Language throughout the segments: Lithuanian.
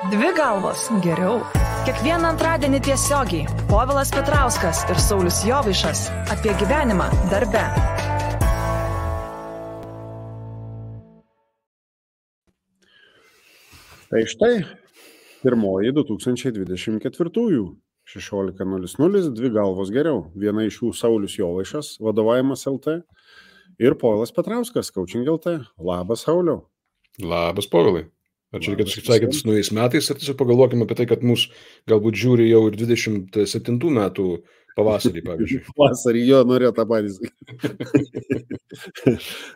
Dvi galvos geriau. Kiekvieną antradienį tiesiogiai Povilas Petrauskas ir Saulius Jovaišas apie gyvenimą darbe. Tai štai, pirmoji 2024-ųjų 16.00, dvi galvos geriau. Viena iš jų Saulius Jovaišas, vadovavimas LT, ir Povilas Petrauskas, Coaching LT. Labas, Sauliau. Labas, Povilai. Ačiū, reikėtų sveikinti su naujais metais ir tiesiog pagalvokime apie tai, kad mus galbūt žiūri jau ir 27 metų pavasarį, pavyzdžiui. Pavasarį, jo, norėjo tą patys.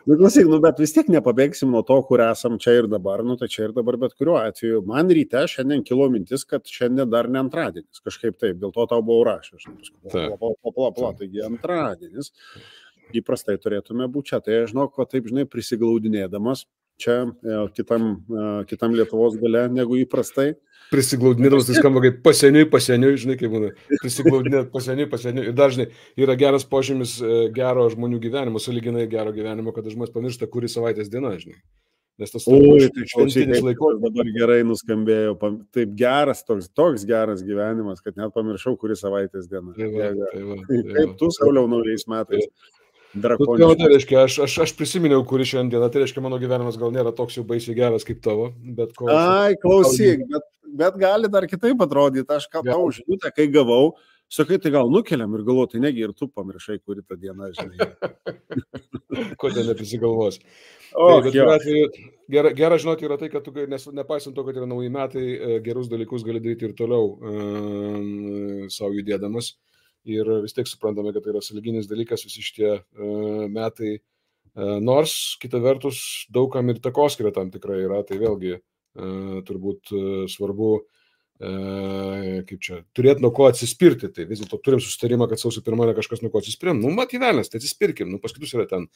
Klausyk, bet vis tiek nepabėgsim nuo to, kur esam čia ir dabar, tai čia ir dabar, bet kuriuo atveju. Man ryte šiandien kilo mintis, kad šiandien dar ne antradienis, kažkaip taip, dėl to tau buvau rašęs. Taigi antradienis. Įprastai turėtume būti čia, tai aš žinau, ko taip, prisiglaudinėdamas čia kitam Lietuvos gale negu įprastai. Prisiglaudinėdamas, tai skamba kaip paseniui, žinai, kaip būna. Prisiglaudinėt paseniui. Ir dažnai yra geras požymis gero žmonių gyvenimo, sąlyginai gero gyvenimo, kad žmonės pamiršta, kuri savaitės diena, žinai. Nes tas šventinis laikotarpis dabar gerai nuskambėjo, taip geras, toks geras gyvenimas, kad net pamiršau, kuri savaitės diena. Kaip tu, Sauliau, naujais metais? Tai reiškia, aš prisiminiau, kuri šiandieną, tai reiškia, mano gyvenimas gal nėra toks jau baisiai geras kaip tavo, bet klausyk, bet gali dar kitaip atrodyti, aš tau žinutę, kai gavau, sakai, tai gal nukeliam ir galvoju, tai negi ir tu pamiršai, kuri tą dieną, žinai. Kodėl neprisigalvos? Gera žinoti yra tai, kad tu, nepaisant to, kad yra nauji metai, gerus dalykus gali daryti ir toliau savo judėdamas. Ir vis tiek suprantame, kad tai yra sąlyginis dalykas visi šitie metai. Nors, kita vertus, daugam ir takoskyra tam tikrai yra, tai vėlgi turbūt svarbu turėti nuo ko atsispirti. Tai vis dėlto turim susitarimą, kad sausio 1 kažkas nuo ko atsispirėm. Matyvelės, tai atsispirkim. Pas kitus yra ten,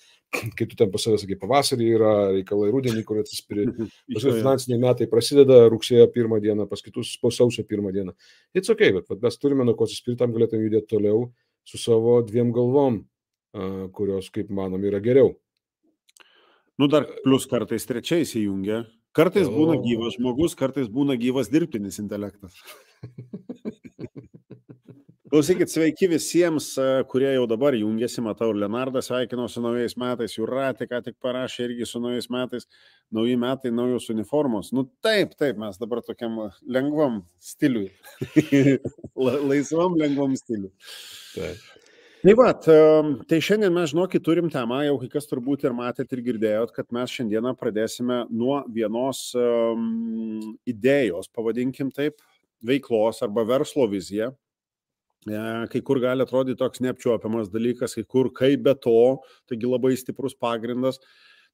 kai tu ten pas savęs sakai, pavasarį yra reikalai, rudenį, kur atsispiri. Paskui finansiniai metai prasideda rugsėjo 1 dieną, pas kitus po sausio 1 dieną. It's okay, bet mes turime nuo ko atsispirti, tam galėtume judėti toliau su savo dviem galvom, kurios, kaip manom, yra geriau. Dar plus kartais trečiais įjungia. Kartais būna gyvas žmogus, kartais būna gyvas dirbtinis intelektas. Klausykit, sveiki visiems, kurie jau dabar jungiasi, matau, Leonardą sveikino su naujais metais, Jūratė ką tik parašė irgi su naujais metais, nauji metai, naujos uniformos. Taip, mes dabar tokiam lengvam stiliui, laisvam lengvam stiliui. Taip. Tai šiandien mes, žinokit, turim temą, jau kai kas turbūt ir matėt ir girdėjot, kad mes šiandieną pradėsime nuo vienos idėjos, pavadinkim taip, veiklos arba verslo vizija. Kai kur gali atrodyti toks neapčiuopiamas dalykas, kai kur kaip be to, taigi labai stiprus pagrindas.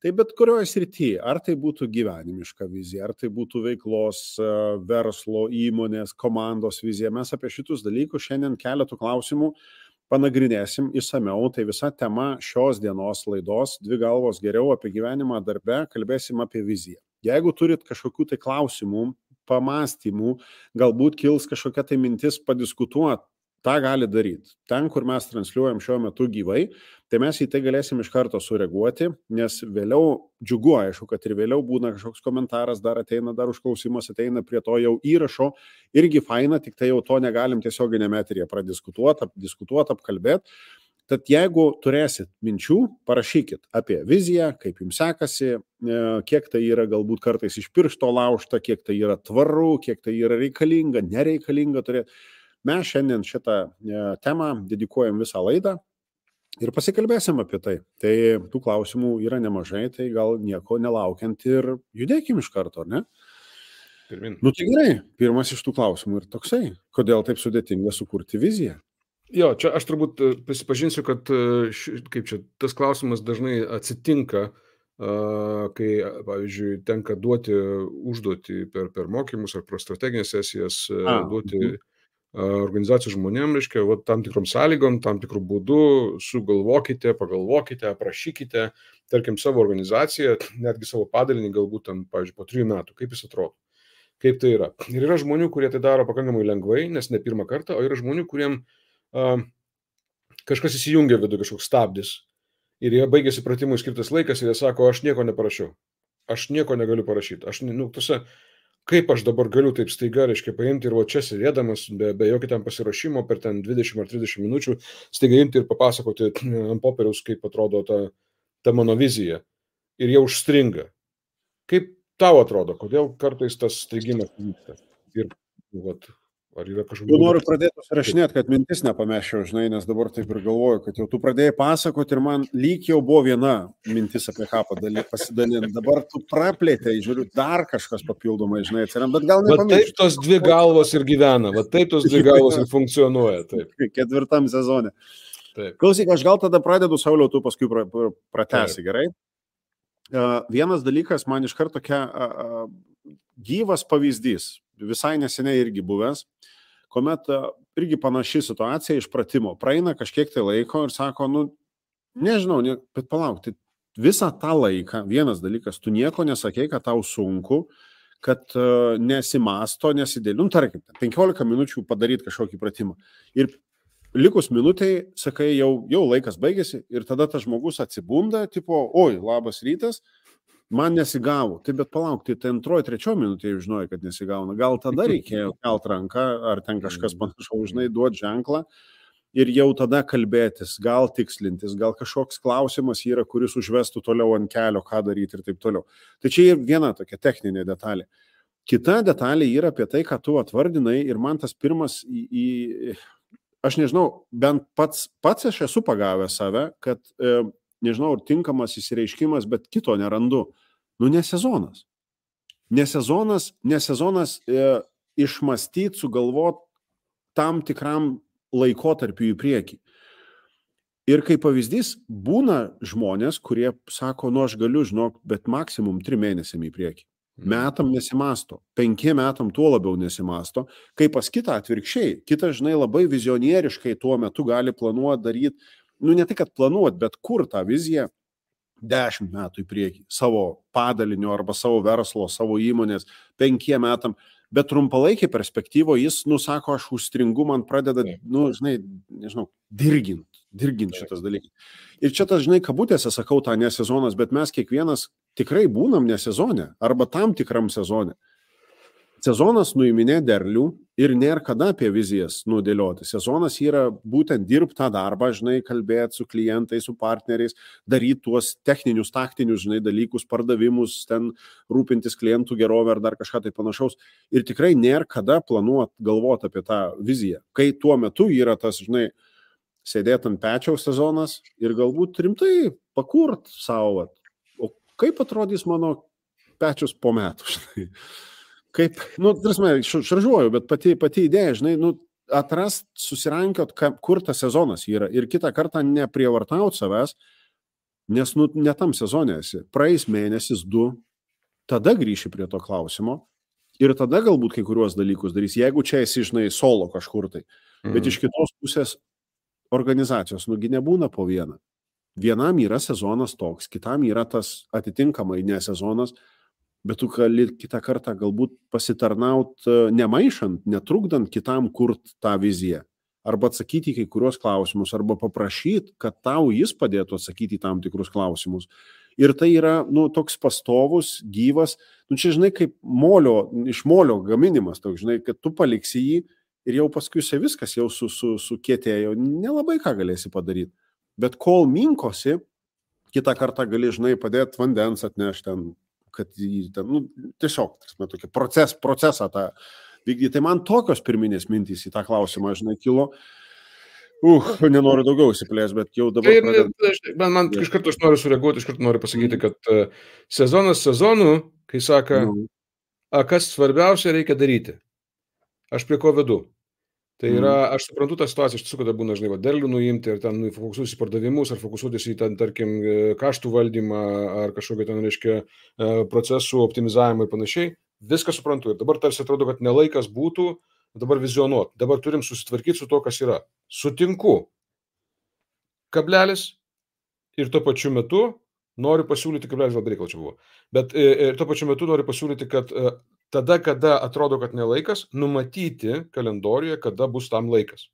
Tai bet kurioje srityje, ar tai būtų gyvenimiška vizija, ar tai būtų veiklos, verslo, įmonės, komandos vizija, mes apie šitus dalykus šiandien keletų klausimų panagrinėsim išsamiau. Tai visa tema šios dienos laidos, dvi galvos geriau apie gyvenimą darbe, kalbėsim apie viziją. Jeigu turit kažkokių tai klausimų, pamastymų, galbūt kils kažkokia tai mintis padiskutuoti, tą gali daryti. Ten, kur mes transliuojam šiuo metu gyvai, tai mes į tai galėsim iš karto sureaguoti, nes vėliau džiugu, aišku, kad ir vėliau būna kažkoks komentaras, dar ateina, dar užklausimas ateina prie to jau įrašo, irgi faina, tik tai jau to negalim tiesioginėme eteryje pradiskutuoti, apkalbėti. Tad jeigu turėsit minčių, parašykit apie viziją, kaip jums sekasi, kiek tai yra galbūt kartais iš piršto laužta, kiek tai yra tvaru, kiek tai yra reikalinga, nereikalinga turėti. Mes šiandien šitą temą dedikuojam visą laidą ir pasikalbėsim apie tai. Tai tų klausimų yra nemažai, tai gal nieko nelaukiant ir judėkim iš karto, ne? Pirmin. Tai gerai, pirmas iš tų klausimų ir toksai. Kodėl taip sudėtinga sukurti viziją? Jo, čia aš turbūt prisipažinsiu, kad tas klausimas dažnai atsitinka, kai, pavyzdžiui, tenka duoti užduotį per mokymus ar per strateginės sesijas, duoti organizacijų žmonėm, reiškia, tam tikrom sąlygom, tam tikrų būdų, sugalvokite, pagalvokite, aprašykite, tarkim, savo organizaciją, netgi savo padalinį, galbūt tam, pavyzdžiui, po 3 metų, kaip jis atrodo, kaip tai yra. Ir yra žmonių, kurie tai daro pakankamai lengvai, nes ne pirmą kartą, o yra žmonių, kuriem kažkas įsijungia vidų, kažkoks stabdis, ir jie baigėsi pratimui skirtas laikas ir jie sako, aš nieko neparašiau, aš nieko negaliu parašyti, kaip aš dabar galiu taip staiga, reiškia, paimti ir va čia sėdėdamas, be jokio ten pasiruošimo per ten 20 ar 30 minučių, staiga imti ir papasakoti ant popieriaus, kaip atrodo ta mano vizija. Ir jau užstringa. Kaip tau atrodo, kodėl kartais tas staigimas vyksta? Ir vat, ar yra kažkokių... Jau noriu pradėti susirašinėti, kad mintis nepameščiau, žinai, nes dabar taip ir galvoju, kad jau tu pradėjai pasakoti ir man lyg jau buvo viena mintis apie ką pasidalinti. Dabar tu praplėtei, žiūriu, dar kažkas papildomai, žinai, atsiranda, bet gal nepamiršti. Taip tos dvi galvos ir gyvena, taip tos dvi galvos ir funkcionuoja. Taip. 4. sezone. Taip. Klausyk, aš gal tada pradedu, Sauliau, tu paskui pratęsi, gerai? Vienas dalykas, man iš karto tokia gyvas pavyzdys, visai neseniai irgi buvęs, kuomet irgi panaši situacija iš pratimo. Praeina kažkiek tai laiko ir sako, nežinau, bet palauk, tai visą tą laiką, vienas dalykas, tu nieko nesakei, kad tau sunku, kad nesimasto, nesidėliu, tarkim, 15 minučių padaryti kažkokį pratimą. Ir likus minutei, sakai, jau laikas baigėsi ir tada tas žmogus atsibunda, tipo, oi, labas rytas, man nesigavo. Tai bet palauk, tai 2-3 minutė jau žinojai, kad nesigauna. Gal tada reikėjo kelt ranką, ar ten kažkas panašaus, žinai, duoti ženklą ir jau tada kalbėtis, gal tikslintis, gal kažkoks klausimas yra, kuris užvestų toliau ant kelio, ką daryti ir taip toliau. Tai čia ir viena tokia techninė detalė. Kita detalė yra apie tai, ką tu atvardinai ir man tas pirmas aš nežinau, bent pats aš esu pagavęs save, kad, nežinau, tinkamas įsireiškimas, bet kito nerandu. Ne sezonas. Ne sezonas išmąstyti, sugalvoti tam tikram laikotarpiu į priekį. Ir kaip pavyzdys, būna žmonės, kurie sako, aš galiu, žinok, bet maksimum 3 mėnesiam į priekį. Metam nesimasto, 5 metam tuo labiau nesimasto, kai pas kitą atvirkščiai, kitas, žinai, labai vizionieriškai tuo metu gali planuoti, daryti, ne tai, kad planuoti, bet kur tą viziją 10 metų į priekį, savo padalinio arba savo verslo, savo įmonės, 5 metam, bet trumpalaikiai perspektyvo jis, sako, aš užstringu, man pradeda, žinai, nežinau, dirgint šitas dalykas. Ir čia tas, žinai, kabutėse sakau tą nesezonas, bet mes kiekvienas tikrai būnam nesezone arba tam tikram sezone. Sezonas nuiminė derlių ir nėra kada apie vizijas nudėlioti. Sezonas yra būtent dirbti tą darbą, žinai, kalbėti su klientais, su partneriais, daryti tuos techninius, taktinius, žinai, dalykus, pardavimus, ten rūpintis klientų gerovę ar dar kažką tai panašaus. Ir tikrai nėra kada planuoti, galvoti apie tą viziją. Kai tuo metu yra tas, žinai, sėdėti ant pečiaus sezonas ir galbūt rimtai pakurt savo, o kaip atrodys mano pečius po metų, žinai. Kaip, tarsi, šaržuoju, bet pati idėja, žinai, atrast, susirankiot, kur tas sezonas yra ir kitą kartą neprievartauti savęs, nes, ne tam sezone esi. Praeis mėnesis, 2, tada grįši prie to klausimo ir tada galbūt kai kuriuos dalykus darys, jeigu čia esi, žinai, solo kažkur tai. Bet iš kitos pusės organizacijos, nebūna po vieną. Vienam yra sezonas toks, kitam yra tas atitinkamai ne sezonas, bet tu gali kitą kartą galbūt pasitarnaut nemaišant, netrukdant kitam kurt tą viziją. Arba atsakyti kai kurios klausimus, arba paprašyti, kad tau jis padėtų atsakyti tam tikrus klausimus. Ir tai yra, toks pastovus, gyvas, čia, žinai, kaip iš molio gaminimas, toks, žinai, kad tu paliksi jį ir jau paskui viskas jau sukietėjo, nelabai ką galėsi padaryti. Bet kol minkosi, kitą kartą gali, žinai, padėti vandens atnešti ten, kad jį ten, tiesiog, tokį procesą tą vykdyti. Tai man tokios pirminės mintys į tą klausimą, žinai, kilo. Nenoriu daugiau įsiplės, bet jau dabar... Man iš karto aš noriu sureaguoti, iš karto noriu pasakyti, kad sezonas sezonu, kai saka, kas svarbiausia reikia daryti. Aš prie ko vedu. Tai yra, aš suprantu tą situaciją, iš tiesų, kada būna, žinai, derlių nuimti ir ten fokusuotis į pardavimus, ar fokusuotis į ten, tarkim, kaštų valdymą, ar kažkokio ten, reiškia, procesų optimizavimą ir panašiai. Viską suprantu. Ir dabar tarsi atrodo, kad nelaikas būtų dabar vizionuoti. Dabar turim susitvarkyti su to, kas yra. Sutinku. Kablelis. Ir tuo pačiu metu noriu pasiūlyti, kablelis labai reikal čia buvo, bet ir tuo pačiu metu noriu pasiūlyti, kad tada, kada atrodo, kad nelaikas, numatyti kalendoriuje, kada bus tam laikas.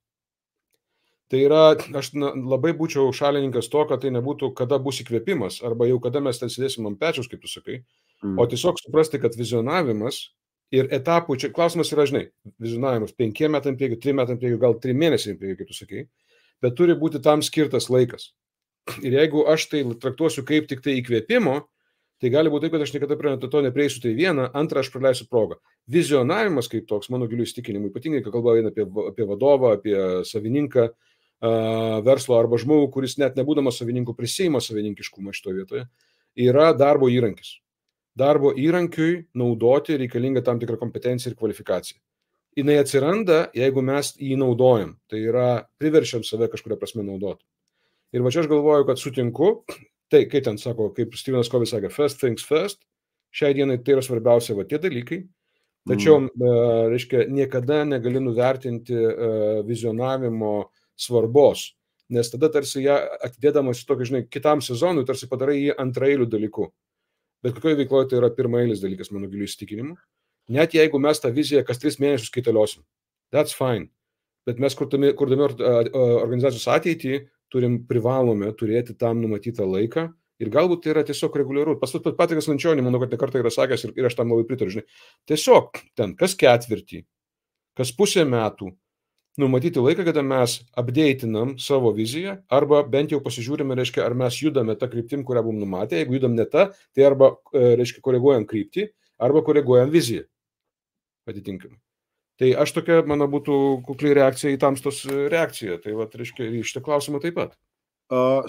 Tai yra, aš labai būčiau šalininkas to, kad tai nebūtų, kada bus įkvėpimas, arba jau kada mes ten sėdėsim ant pečiaus, kaip tu sakai, o tiesiog suprasti, kad vizionavimas Ir etapų, čia klausimas yra, žinai, vizionavimas 5 metam prieki, 3 metam prieki, gal 3 mėnesiai prieki, kaip tu sakai, bet turi būti tam skirtas laikas. Ir jeigu aš tai traktuosiu kaip tik tai įkvėpimo, tai gali būti taip, kad aš niekada prie to neprieisiu, tai viena, antra, aš praleisiu progą. Vizionavimas kaip toks, mano giliu įsitikinimu, ypatingai, kai kalba eina apie vadovą, apie savininką verslo arba žmogų, kuris net nebūdamas savininku prisiima savininkiškumą šitoje vietoje, yra darbo įrankis. Darbo įrankiui naudoti reikalinga tam tikra kompetencija ir kvalifikacija. Jinai atsiranda, jeigu mes jį naudojam. Tai yra priverčiam save kažkuria prasme naudoti. Ir va čia aš galvoju, kad sutinku, tai kaip ten sako, kaip Stevenas Covey sakė, first things first, šiai dienai tai yra svarbiausia va tie dalykai, tačiau, reiškia, niekada negali nuvertinti vizionavimo svarbos, nes tada tarsi ją atidėdamas tokį, žinai, kitam sezonui, tarsi padarai jį antraeilių dalykų. Bet kokioje veikloje tai yra pirmaeilis dalykas, mano giliu įsitikinimu. Net jeigu mes tą viziją kas 3 mėnesius kaitaliosim, that's fine. Bet mes kurdami organizacijos ateitį privalome turėti tam numatytą laiką ir galbūt tai yra tiesiog reguliaru. Patrikas Lančionį, manau, kad ne kartą yra sakęs ir aš tam labai pritariu. Žinai. Tiesiog ten kas ketvirtį, kas pusę metų numatyti laiką, kada mes updatinam savo viziją arba bent jau pasižiūrime, reiškia, ar mes judame tą kryptim, kurią buvom numatę. Jeigu judam ne tą, tai arba, reiškia, koreguojam kryptį, arba koreguojam viziją atitinkamai. Tai aš tokia, mano, būtų kukli reakcija į tamstos reakciją. Tai, va, reiškia, į šitą klausimą taip pat.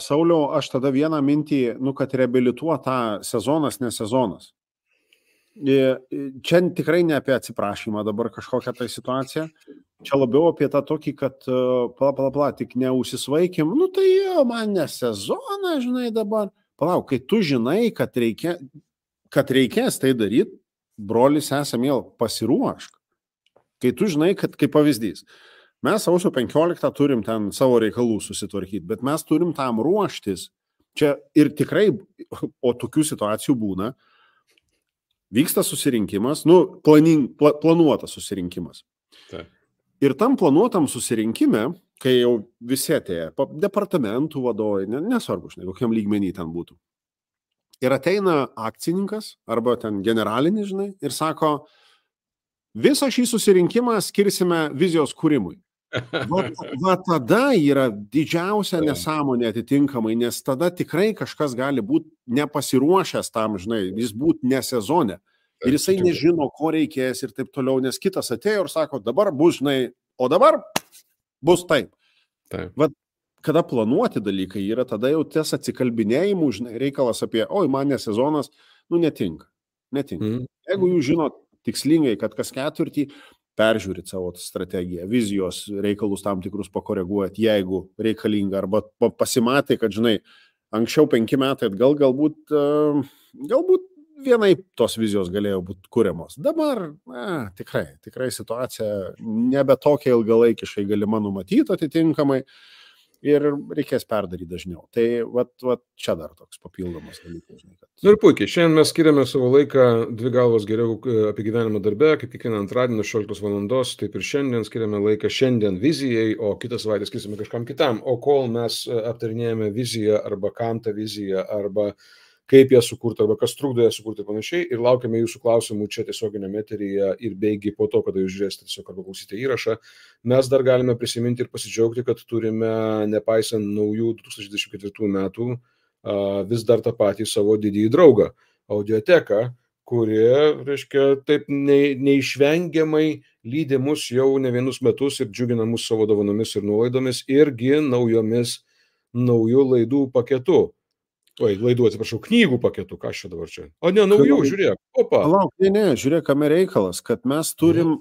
Sauliau, aš tada vieną mintį, kad reabilituot tą sezonas, ne sezonas. Čia tikrai ne apie atsiprašymą dabar kažkokią tai situaciją. Čia labiau apie tą tokį, kad tik neusisvaikim. Tai man ne sezoną, žinai, dabar. Palauk, kai tu žinai, kad reikės tai daryti, brolis esame, pasiruošk. Kai tu žinai, kad kaip pavyzdys, mes sausio 15 turim ten savo reikalų susitvarkyti, bet mes turim tam ruoštis. Čia ir tikrai, o tokių situacijų būna, vyksta susirinkimas, planuotas susirinkimas. Taip. Ir tam planuotam susirinkime, kai jau visi atėjo, departamentų vadovai, nesvarbu, žinai, kokiam lygmenį ten būtų. Ir ateina akcininkas, arba ten generalinis, žinai, ir sako, visą šį susirinkimą skirsime vizijos kūrimui. Va tada yra didžiausia nesąmonė atitinkamai, nes tada tikrai kažkas gali būti nepasiruošęs tam, žinai, jis būti ne sezone. Ir jisai nežino, ko reikės ir taip toliau, nes kitas atėjo ir sako, dabar bus, žinai, o dabar bus taip. Va, kada planuoti dalykai yra, tada jau ties atsikalbinėjimų, žinai, reikalas apie, oi, man ne sezonas, netinka. Jeigu jūs žinot tikslingai, kad kas ketvirtį peržiūrit savo strategiją, vizijos reikalus tam tikrus pakoreguojat, jeigu reikalinga, arba pasimatai, kad, žinai, anksčiau 5 metai atgal galbūt vienai tos vizijos galėjo būti kuriamos. Dabar, tikrai situacija nebe tokia ilgalaikiškai galima numatyti atitinkamai ir reikės perdaryti dažniau. Tai čia dar toks papildomas dalykas. Ir puikiai, šiandien mes skiriame savo laiką 2 galvos geriau apie gyvenimą darbe, kaip kiekvieną antradienį 16 valandos, taip ir šiandien skiriame laiką šiandien vizijai, o kitą savaitę skirsime kažkam kitam. O kol mes aptarinėjame viziją arba kam tą viziją, arba kaip ją sukurti, arba kas trukdo ją sukurti ir panašiai, ir laukiame jūsų klausimų čia tiesioginėme eteryje ir beigi po to, kada jūs žiūrėsite tiesiog arba klausysite įrašą, mes dar galime prisiminti ir pasidžiaugti, kad turime, nepaisant naujų 2024 metų, vis dar tą patį savo didįjį draugą, audioteką, kuri, reiškia, taip neišvengiamai lydi mus jau ne vienus metus ir džiugina mus savo dovanomis ir nuolaidomis irgi naujų laidų paketu. Laidų, atsiprašau, knygų paketų, ką aš čia dabar čia. O ne, naujų, žiūrėk, opa. Palauk, žiūrėk, kame reikalas, kad mes turim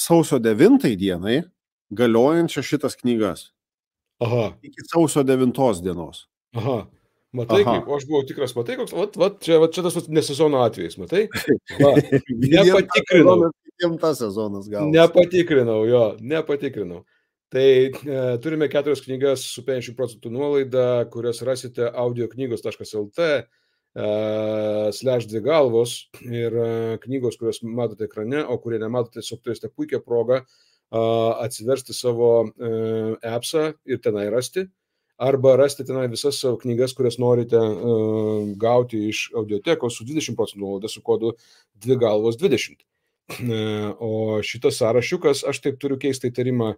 sausio 9 dienai galiojančią šitas knygas. Aha. Iki sausio 9 dienos. Aha. Matai, kaip aš buvau tikras, matai, koks, čia tas nesezono atvejais, matai? Nepatikrinau. Nepatikrinau. Tai turime 4 knygas su 50% nuolaida, kurias rasite audioknygos.lt/2 galvos ir knygos, kurias matote ekrane, o kurie nematote, tiesiog turėsite puikią progą atsiversti savo appsą ir tenai rasti, arba rasti tenai visas savo knygas, kurias norite gauti iš audiotekos su 20% nuolaida su kodu 2galvos 20. O šitas sąrašiukas, aš taip turiu keistą įtarimą,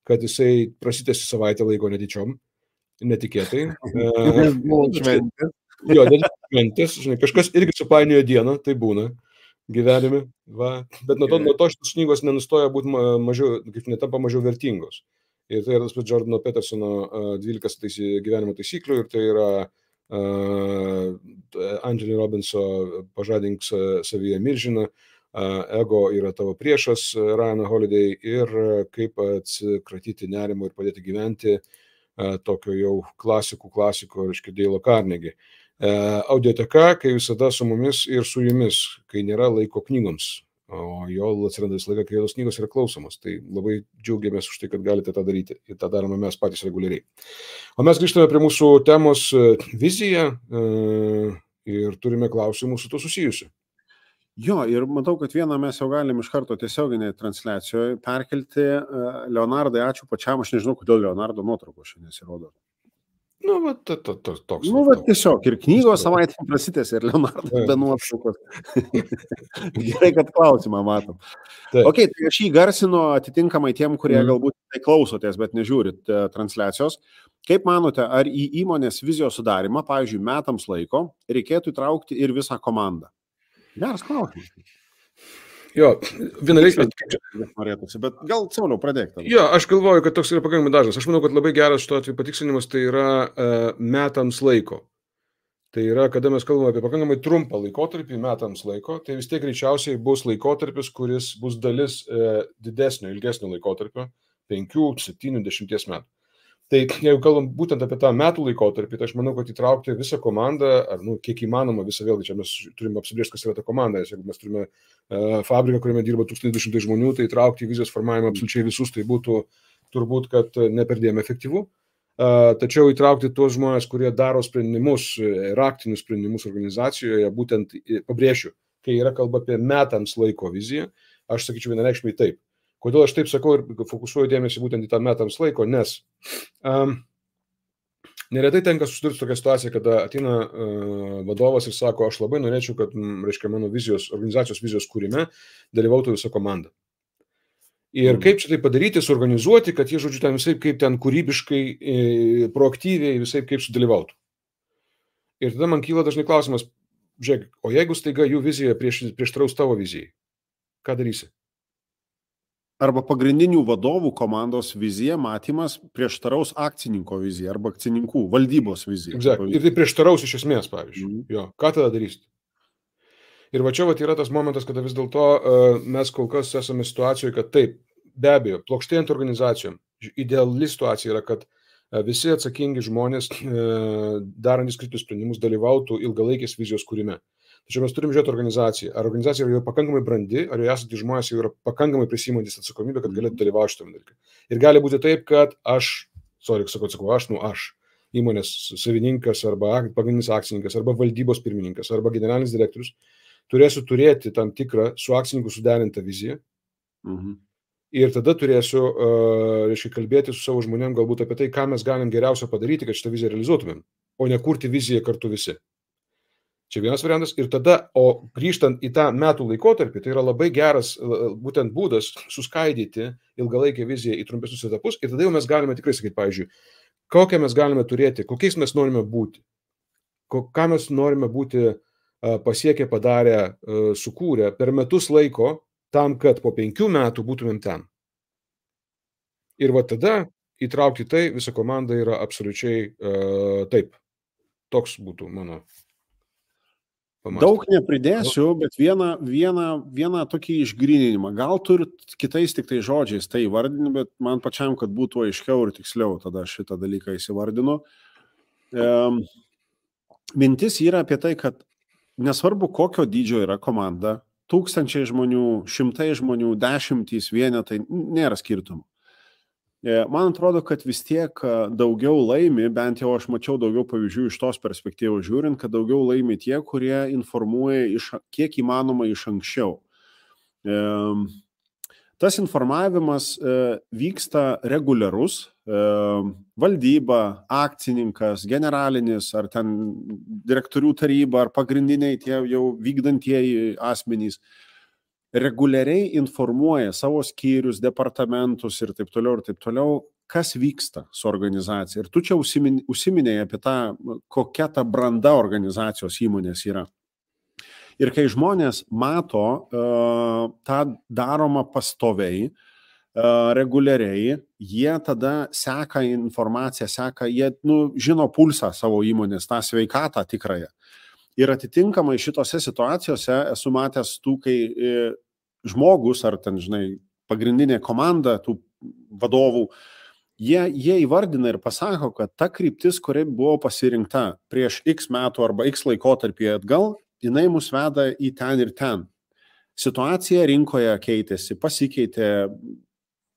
kad jisai prasitęsi savaitę laiko netyčiom, netikėtai. Jo, šventės, žinai, kažkas irgi supainiojo dieną, tai būna gyvenime, va. Bet nuo to šitos knygos nenustoja būti mažiau, kaip netampa mažiau vertingos. Ir tai yra tas pats Jordano Petersono 12 gyvenimo taisyklių, ir tai yra Anthony Robbinso Pažadink savyje milžiną, Ego yra tavo priešas, Ryan Holiday, ir kaip atsikratyti nerimo ir padėti gyventi, tokio jau klasikų, reiškia, Dale Carnegie. Audioteka, kai visada su mumis ir su jumis, kai nėra laiko knygoms, o jo atsiranda visą laiką, kai tos knygos yra klausomos. Tai labai džiaugiamės už tai, kad galite tą daryti, ir tą darome mes patys reguliariai. O mes grįžtame prie mūsų temos viziją ir turime klausimų su to susijusiu. Jo, ir matau, kad vieną mes jau galim iš karto tiesioginėje transliacijoje perkelti. Leonardai, ačiū pačiam, aš nežinau, kodėl Leonardo nuotraukos šiandien nesirodo. Nu, va, toks. Nu, va, tiesiog, ir knygos savaitė prasitęs, ir Leonardas be nuotraukos. Gerai, kad klausimą matom. Ok, tai aš jį garsinu atitinkamai tiem, kurie galbūt tai klausotės, bet nežiūrit transliacijos. Kaip manote, ar į įmonės vizijos sudarimą, pavyzdžiui, metams laiko, reikėtų įtraukti ir visą komandą? Geras klausimas. Jo, bet gal Sauliau pradėk tada. Jo, aš galvoju, kad toks yra pakankamai dažnas. Aš manau, kad labai geras šito atveju patikslinimas tai yra metams laiko. Tai yra, kada mes kalbame apie pakankamai trumpą laikotarpį, metams laiko, tai vis tiek greičiausiai bus laikotarpis, kuris bus dalis didesnio, ilgesnio laikotarpio, 5, 7, 10 metų. Tai jeigu kalbam būtent apie tą metų laikotarpį, tai aš manau, kad įtraukti visą komandą, ar kiek įmanoma visą, vėlgi čia mes turime apsibrėžti, kas yra ta komanda. Jeigu mes turime fabriką, kuriame dirba 1200 žmonių, tai įtraukti į vizijos formavimą absoliučiai visus, tai būtų turbūt, kad neperdėm efektyvu. Tačiau įtraukti tuos žmonės, kurie daro sprendimus, raktinius sprendimus organizacijoje, būtent pabrėšiu, kai yra kalba apie metams laiko viziją, aš sakyčiau vienareikšmiai taip. Kodėl aš taip sakau ir fokusuoju dėmesį būtent į tą metams laiko, nes neretai tenka susidurti tokią situaciją, kada ateina vadovas ir sako, aš labai norėčiau, kad, reiškia, mano vizijos, organizacijos vizijos kūrime dalyvautų visa komanda. Ir kaip čia tai padaryti, suorganizuoti, kad jie, žodžiu, ten visai kaip ten kūrybiškai, proaktyviai, visai kaip sudalyvautų. Ir tada man kyla dažnai klausimas, žiūrėk, o jeigu staiga jų vizija prieštraus tavo vizijai, ką darysi? Arba pagrindinių vadovų komandos vizija, matymas prieštaraus akcininko vizija arba akcininkų valdybos vizija. Exactly. Ir tai prieštaraus iš esmės, pavyzdžiui. Jo, ką tada darysit? Ir va čia yra tas momentas, kada vis dėlto mes kol kas esame situacijoje, kad taip, be abejo, plokštėjant organizacijom, ideali situacija yra, kad visi atsakingi žmonės, darantys kritus sprendimus, dalyvautų ilgalaikės vizijos kūrime. Tačiau mes turim žiūrėti organizaciją. Ar organizacija yra jau pakankamai brandi, ar jau esate žmonės jau yra pakankamai prisiimantis atsakomybę, kad galėtų dalyvauti šitame dalyke. Ir gali būti taip, kad aš, įmonės savininkas arba pagrindinis akcininkas, arba valdybos pirmininkas, arba generalinis direktorius, turėsiu turėti tam tikrą su akcininku suderintą viziją. Ir tada turėsiu, reiškia, kalbėti su savo žmonėm galbūt apie tai, ką mes galim geriausio padaryti, kad šitą viziją realizuotumėm, o ne kurti viziją kartu visi. Čia vienas variantas. Ir tada, o grįžtant į tą metų laikotarpį, tai yra labai geras būtent būdas suskaidyti ilgalaikę viziją į trumpesnius etapus. Ir tada jau mes galime tikrai sakyti, pavyzdžiui, kokią mes galime turėti, kokiais mes norime būti, ką mes norime būti pasiekę, padarę, sukūrę per metus laiko tam, kad po 5 metų būtumėm ten. Ir va tada įtraukti tai visą komandą yra absoliučiai taip. Toks būtų mano. Daug nepridėsiu, bet vieną tokį išgryninimą. Gal turit kitais tik tai žodžiais tai įvardini, bet man pačiam, kad būtų aiškiau ir tiksliau, tada šitą dalyką įsivardinu. Mintis yra apie tai, kad nesvarbu, kokio dydžio yra komanda, 1000 žmonių, 100 žmonių, 10 vienetai, nėra skirtumų. Man atrodo, kad vis tiek daugiau laimi, bent jau aš mačiau daugiau pavyzdžių iš tos perspektyvos žiūrint, kad daugiau laimi tie, kurie informuoja kiek įmanoma iš anksčiau. Tas informavimas vyksta reguliarus, valdyba, akcininkas, generalinis, ar ten direktorių taryba, ar pagrindiniai tie jau vykdantieji asmenys. reguliariai informuoja savo skyrius, departamentus ir taip toliau, kas vyksta su organizacija. Ir tu čia užsiminėjai apie tą, kokia ta branda organizacijos įmonės yra. Ir kai žmonės mato tą daromą pastoviai, reguliariai, jie tada seka informaciją, jie žino pulsą savo įmonės, tą sveikatą tikrąją. Ir atitinkamai šitose situacijose esu matęs tų, kai žmogus ar ten, pagrindinė komanda tų vadovų, jie įvardina ir pasako, kad ta kryptis, kuri buvo pasirinkta prieš X metų arba X laikotarpį atgal, jinai mus veda į ten ir ten. Situacija rinkoje keitėsi, pasikeitė.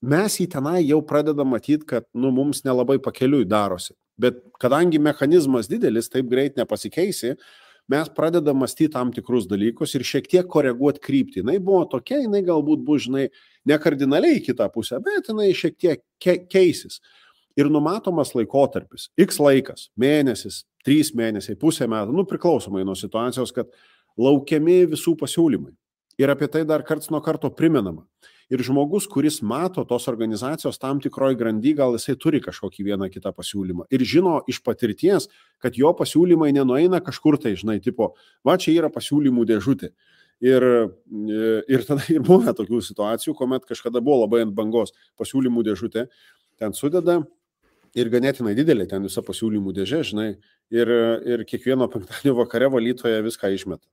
Mes į tenai jau pradedam matyti, kad mums nelabai pakeliui darosi. Bet kadangi mechanizmas didelis, taip greit nepasikeisi, mes pradedam mąstyti tam tikrus dalykus ir šiek tiek koreguoti kryptį. Jinai buvo tokia, jinai galbūt bus, ne kardinaliai į kitą pusę, bet jinai šiek tiek keisis. Ir numatomas laikotarpis, X laikas, mėnesis, 3 mėnesiai, pusę metų, priklausomai nuo situacijos, kad laukiami visų pasiūlymai. Ir apie tai dar karts nuo karto primenama. Ir žmogus, kuris mato tos organizacijos tam tikroj grandy, gal jisai turi kažkokį vieną kitą pasiūlymą. Ir žino iš patirties, kad jo pasiūlymai nenueina kažkur tai, tipo, va čia yra pasiūlymų dėžutė. Ir tada ir buvo tokių situacijų, kuomet kažkada buvo labai ant bangos pasiūlymų dėžutė, ten sudeda ir ganėtinai didelė ten visa pasiūlymų dėžė, ir kiekvieno penktadienio vakare valytoje viską išmeta.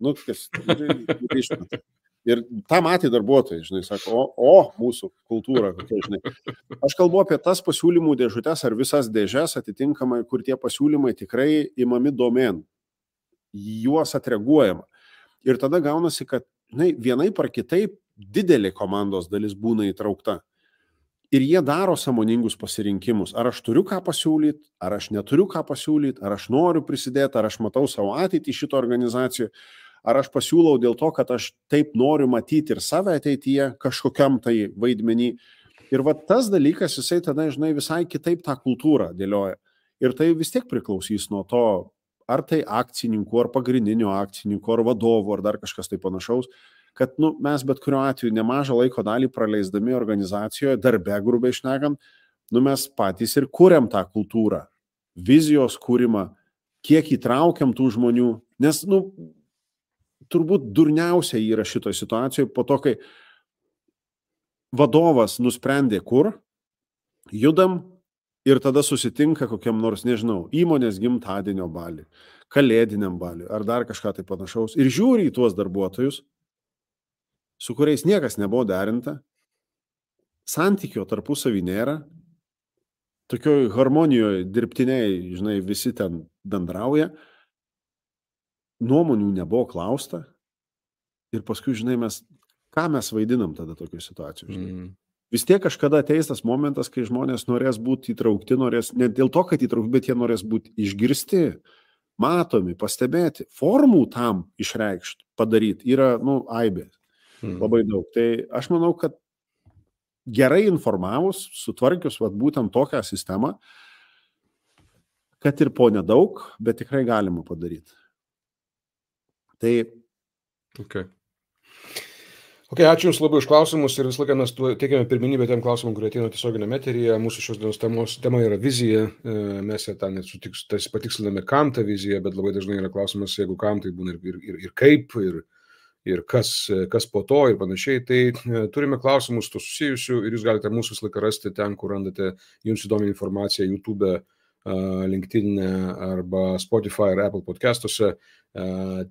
Išmeta. Ir tą matė darbuotojai, sako, mūsų kultūra, kokia, Aš kalbu apie tas pasiūlymų dėžutės ar visas dėžes atitinkamai, kur tie pasiūlymai tikrai imami domėn, juos atreaguojama. Ir tada gaunasi, kad vienaip ar kitaip didelė komandos dalis būna įtraukta. Ir jie daro sąmoningus pasirinkimus. Ar aš turiu ką pasiūlyti, ar aš neturiu ką pasiūlyti, ar aš noriu prisidėti, ar aš matau savo ateitį šito organizacijoje. Ar aš pasiūlau dėl to, kad aš taip noriu matyti ir save ateityje kažkokiam tai vaidmenį. Ir va tas dalykas, jisai tada, visai kitaip tą kultūrą dėlioja. Ir tai vis tiek priklausys nuo to, ar tai akcininkų, ar pagrindinių akcininkų, ar vadovų, ar dar kažkas tai panašaus, kad mes bet kuriuo atveju nemažą laiko dalį praleisdami organizacijoje, darbe grubiai šnekant, mes patys ir kuriam tą kultūrą, vizijos kūrimą, kiek įtraukiam tų žmonių, nes, turbūt durniausia yra šitoje situacijoje po to, kai vadovas nusprendė, kur judam ir tada susitinka kokiam nors, įmonės gimtadienio baliui, kalėdiniam baliui ar dar kažką tai panašaus ir žiūri į tuos darbuotojus, su kuriais niekas nebuvo derinta, santykio tarpusavy nėra, tokioj harmonijoje dirbtiniai, visi ten bendrauja, nuomonių nebuvo klausta ir paskui, ką mes vaidinam tada tokių situacijų. Vis tiek kažkada ateis tas momentas, kai žmonės norės būti įtraukti, ne dėl to, kad įtraukti, bet jie norės būti išgirsti, matomi, pastebėti, formų tam išreikšti, padaryti, yra, aibė, labai daug. Tai aš manau, kad gerai informavus, sutvarkius būtent tokią sistemą, kad ir po nedaug, bet tikrai galima padaryti. Tai. Okay, ačiū Jums labai už klausimus ir visą laiką mes teikiame pirmenybę tiem klausimam, kurie ateina tiesioginiame eteryje. Mūsų šios dienos tema yra vizija. Mes ją ten patiksliname, kam ta vizija, bet labai dažnai yra klausimas, jeigu kam, tai būna ir kaip, ir kas po to ir panašiai. Tai turime klausimus to susijusių ir jūs galite mūsų visą laiką rasti ten, kur randate jums įdomią informaciją YouTube, LinkedIn arba Spotify ar Apple podcastuose.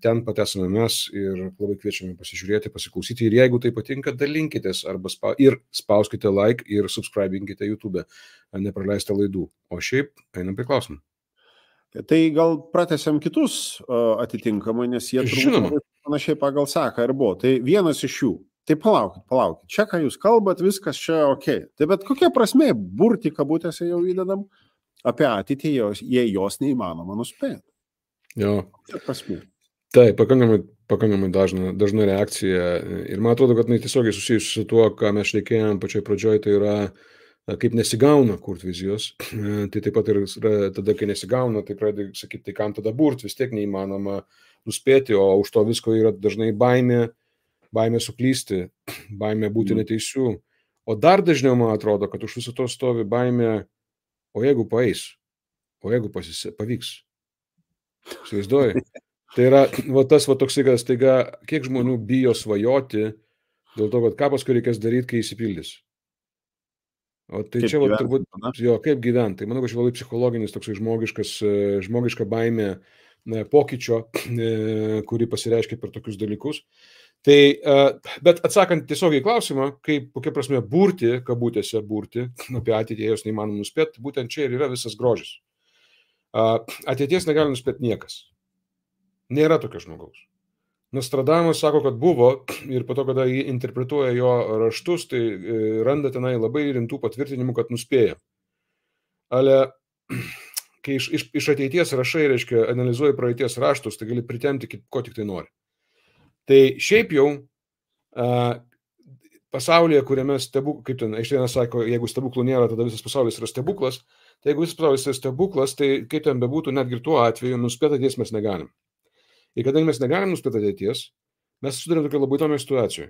Ten pat esame mes ir labai kviečiame pasižiūrėti, pasiklausyti ir jeigu tai patinka, dalinkitės arba spauskite like ir subscribinkite YouTube, nepraleiste laidų. O šiaip einam prie klausimų. Tai gal pratęsiam kitus atitinkamai, nes jie turbūt panašiai pagal seką ir buvo. Tai vienas iš jų. Tai palaukit. Čia, ką jūs kalbat, viskas čia okei. Tai bet kokia prasmė burti kabutėse jau įdedam apie ateitį, jei jos neįmanoma nuspėti. Jo. Tai pakankamai dažna reakcija ir man atrodo, kad tiesiogiai susijusi su tuo, ką mes šnekėjom pačioj pradžioj, tai yra kaip nesigauna kurti vizijos. Tai taip pat ir tada, kai nesigauna, tai pradedi sakyti, tai kam tada burti, vis tiek neįmanoma nuspėti, o už to visko yra dažnai baimė, baimė suklysti, baimė būti neteisiu. O dar dažniau man atrodo, kad už viso to stovi baimė, o jeigu paeis, o jeigu pavyks. Įsivaizduoji? Tai yra tas toksai, kad staiga, kiek žmonių bijo svajoti dėl to, kad ką paskui reikės daryti, kai įsipildys. O tai kaip čia turbūt, kaip gyventi. Tai manau, kad čia labai psichologinis, toksai žmogiška baimė pokyčio, kuri pasireiškia per tokius dalykus. Tai, bet atsakant tiesiog į klausimą, kokia prasme burti, kabutėse burti, apie ateitį jos neįmanoma nuspėti, būtent čia ir yra visas grožis. Ateities negali nuspėti niekas. Nėra tokio žmogaus. Nostradamas sako, kad buvo ir po to, kada jį interpretuoja jo raštus, tai randa tenai labai rimtų patvirtinimų, kad nuspėja. Ale, kai iš ateities rašai, reiškia, analizuoji praeities raštus, tai gali pritemti, ko tik tai nori. Tai šiaip jau pasaulyje, kuriame kaip ten Einšteinas sako, jeigu stebuklų nėra, tada visas pasaulis yra stebuklas, tai jeigu visas pasaulis yra stebuklas, tai kaip ten bebūtų, netgi ir tuo atveju, nuspėti ateities mes negalim. Ir kadangi mes negalim nuspėti ateities, mes sudarėm tokią labai įdomią situaciją.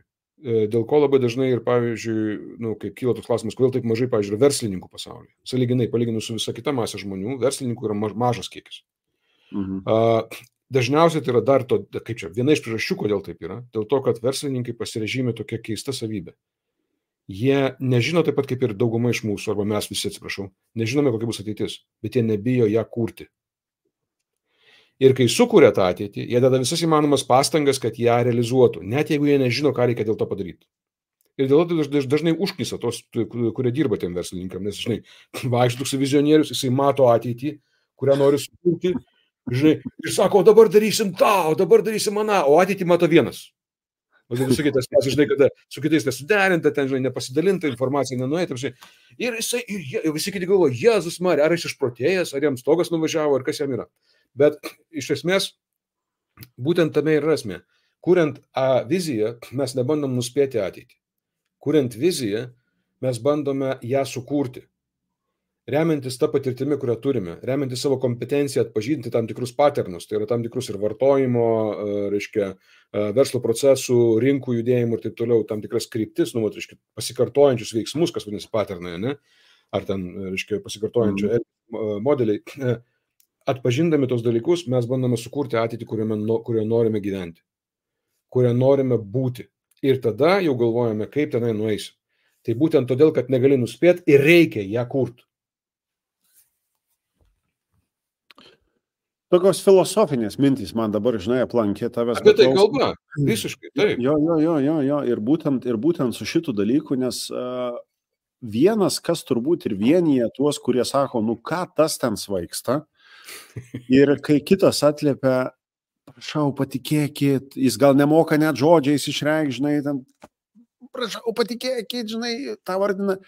Dėl ko labai dažnai ir, pavyzdžiui, kai kyla toks klausimas, kodėl taip mažai, pavyzdžiui, verslininkų pasaulyje. Sąlyginai, palyginus su visa kita masė žmonių, verslininkų yra mažas kiekis. Dažniausiai tai yra dar viena iš priežasčių, kodėl taip yra, dėl to, kad verslininkai pasirežymė tokia keista savybė. Jie nežino taip pat kaip ir dauguma iš mūsų, arba mes visi, atsiprašau, nežinome, kokia bus ateitis, bet jie nebijo ją kurti. Ir kai sukuria tą ateitį, jie deda visas įmanomas pastangas, kad ją realizuotų, net jeigu jie nežino, ką reikia dėl to padaryti. Ir dėl to dažnai užknisa tos, kurie dirba tiem verslininkam, nes, žinai, vaikšto toks vizionierius, jisai mato ateitį, kurią nori sukurti, žinai, ir sako, o dabar darysim tą, o dabar darysim aną, o ateitį mato vienas. O tai su kitais, žinai, kada su kitais nesuderinta, ten, žinai, nepasidalinta, informacija nenuėta, žinai. Ir visi kiti galvo, Jėzus Marija, ar jis išprotėjęs, ar jam stogas nuvažiavo, ar kas jam yra. Bet iš esmės, būtent tame ir esmė. Kuriant viziją, mes nebandom nuspėti ateitį. Kuriant viziją, mes bandome ją sukurti. Remiantis tą patirtimį, kurią turime, remiantis savo kompetenciją atpažinti tam tikrus paternus, tai yra tam tikrus ir vartojimo, reiškia, verslo procesų, rinkų judėjimų ir taip toliau, tam tikras kryptis, reiškia, pasikartojančius veiksmus, kas vadinasi paternai, ne? Ar ten, reiškia, pasikartojančių modeliai. Atpažindami tos dalykus, mes bandome sukurti ateitį, kurioje norime gyventi, kurioje norime būti. Ir tada jau galvojame, kaip tenai nueisi. Tai būtent todėl, kad negali nuspėti ir reikia ją kurti. Tokios filosofinės mintys man dabar, žinai, aplankė tavęs. Apie tai kalba, visiškai, taip. Jo, ir būtent su šitų dalykų, nes vienas, kas turbūt ir vienyje tuos, kurie sako, ką tas ten svaigsta, ir kai kitas atliepia, prašau, patikėkit, jis gal nemoka net žodžiais išreikšti, žinai, ten, prašau, patikėkit, žinai, tą vardina.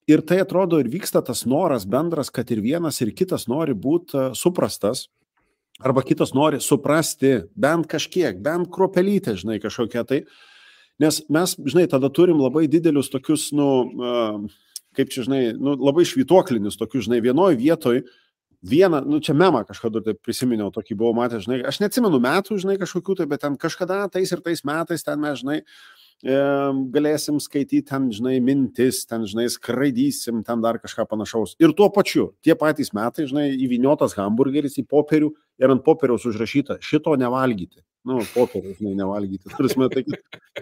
Ir tai atrodo ir vyksta tas noras bendras, kad ir vienas, ir kitas nori būti suprastas, arba kitas nori suprasti bent kažkiek, bent kruopelytę, žinai, kažkokia tai. Nes mes, žinai, tada turim labai didelius tokius, kaip čia, žinai, labai švytuoklinius tokius, žinai, vienoj vietoj, čia memą kažkada tai prisiminiau, tokį buvau matęs, žinai, aš neatsimenu metų, žinai, kažkokių tai, bet ten kažkada tais ir tais metais ten mes, žinai, galėsim skaityti ten, žinai, mintis, ten, žinai, skraidysim, ten dar kažką panašaus. Ir tuo pačiu, tie patys metai, žinai, įvyniotas hamburgeris į popierių ir ant popieriaus užrašyta, šito nevalgyti. Popierių, žinai, nevalgyti. Turime, tai,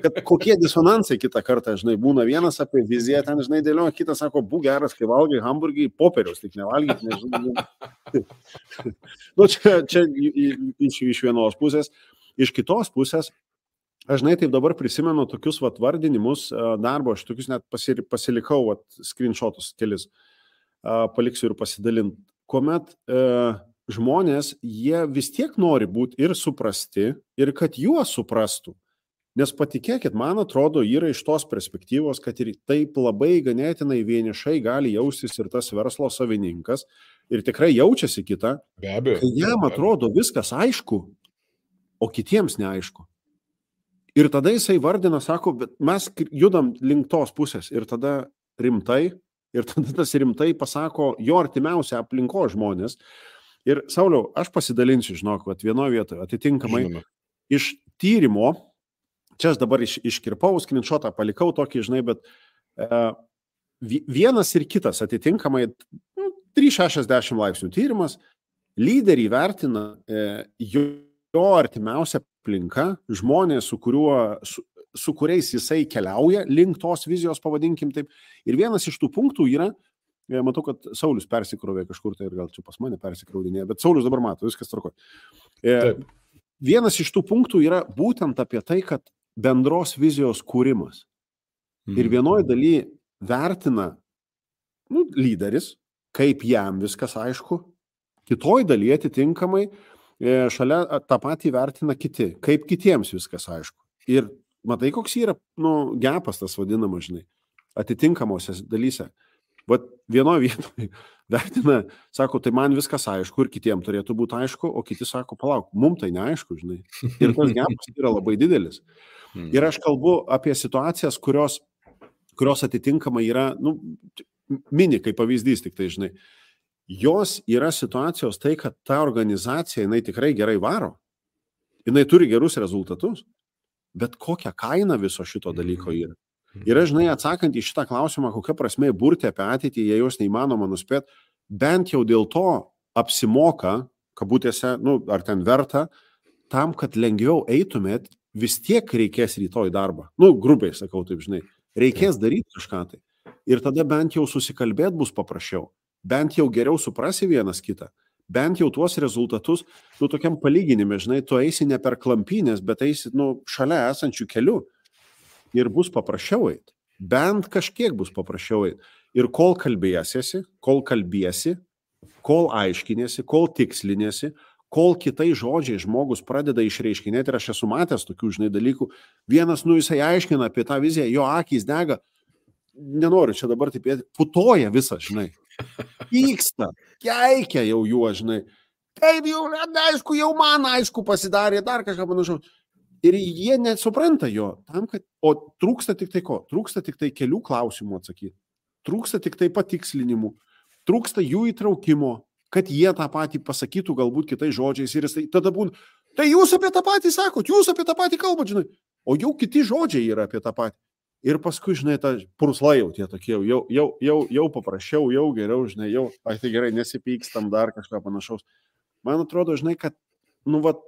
kad kokie disonansai kitą kartą, žinai, būna vienas apie viziją, ten, žinai, dėlioja, kitas sako, būk geras, kai valgai hamburgerį, popieriaus tik nevalgyti, nežinai. Čia iš vienos pusės. Iš kitos pusės, aš, žinai, taip dabar prisimenu tokius vardinimus darbo, aš tokius net pasilikau screenshotus kelis, paliksiu ir pasidalint. Kuomet žmonės, jie vis tiek nori būti ir suprasti, ir kad juos suprastų. Nes patikėkit, man atrodo, yra iš tos perspektyvos, kad ir taip labai ganėtinai vienišai gali jaustis ir tas verslo savininkas, ir tikrai jaučiasi kita, kai jam atrodo viskas aišku, o kitiems neaišku. Ir tada jisai vardina, sako, bet mes judam link tos pusės, ir tada rimtai, ir tada tas rimtai pasako jo artimiausia aplinko žmonės. Ir, Sauliau, aš pasidalinsiu, žinok, vienoje vietoje, atitinkamai iš tyrimo, čia aš dabar iškirpau, screenshotą palikau tokį, žinai, bet vienas ir kitas atitinkamai 360 laipsnių tyrimas, lyderį vertina jo artimiausia aplinka, žmonės, su kuriais jisai keliauja link tos vizijos, pavadinkim taip. Ir vienas iš tų punktų yra, matau, kad Saulius persikrovė kažkur, tai ir gal čia pas mane persikraudinė, bet Saulius dabar mato, viskas tvarkoja. Vienas iš tų punktų yra būtent apie tai, kad bendros vizijos kūrimas. Ir vienoje daly vertina lyderis, kaip jam viskas aišku, kitoj daly atitinkamai šalia tą patį vertina kiti, kaip kitiems viskas aišku. Ir matai, koks yra gepas tas vadinamas, žinai, atitinkamosios dalyse. Vat vienoje vietoje vertina, sako, tai man viskas aišku ir kitiems turėtų būti aišku, o kiti sako, palauk, mums tai neaišku, žinai. Ir tas gepas yra labai didelis. Ir aš kalbu apie situacijas, kurios atitinkamai yra, mini kaip pavyzdys tik tai, žinai. Jos yra situacijos tai, kad ta organizacija, jinai tikrai gerai varo, jinai turi gerus rezultatus, bet kokią kainą viso šito dalyko yra. Ir aš, žinai, atsakant į šitą klausimą, kokia prasme burti apie ateitį, jei jos neįmanoma nuspėti, bent jau dėl to apsimoka, kabutėse, ar ten verta, tam, kad lengviau eitumėt, vis tiek reikės rytoj darbą. Grubiai sakau taip, žinai, reikės daryti kažką tai. Ir tada bent jau susikalbėti bus paprasčiau. Bent jau geriau suprasi vienas kitą, bent jau tuos rezultatus, tokiam palyginime, žinai, tu eisi ne per klampynės, bet eisi, šalia esančių kelių ir bus paprasčiau eiti. Bent kažkiek bus paprasčiau eiti. Ir kol kalbėsiesi, kol aiškinėsi, kol tikslinėsi, kol kitai žodžiai žmogus pradeda išreiškinėti, ir aš esu matęs tokių, žinai, dalykų, vienas, jisai aiškina apie tą viziją, jo akys dega, nenoriu čia dabar taip, putoja visą, žinai. Pyksta, keikia jau juo, žinai. Kaip jau, aišku, jau man aišku pasidarė, dar kažką panašaus. Ir jie nesupranta jo, o trūksta tik tai ko? Trūksta tik tai kelių klausimų atsakyti. Trūksta tik tai patikslinimų. Trūksta jų įtraukimo, kad jie tą patį pasakytų galbūt kitais žodžiais. Ir jis tada būna, tai jūs apie tą patį sakot, jūs apie tą patį kalbat, žinai. O jau kiti žodžiai yra apie tą patį. Ir paskui, žinai, ta purslai jau tie tokie, jau paprasčiau, jau geriau, žinai, tai gerai, nesipykstam dar kažką panašaus. Man atrodo, žinai, kad,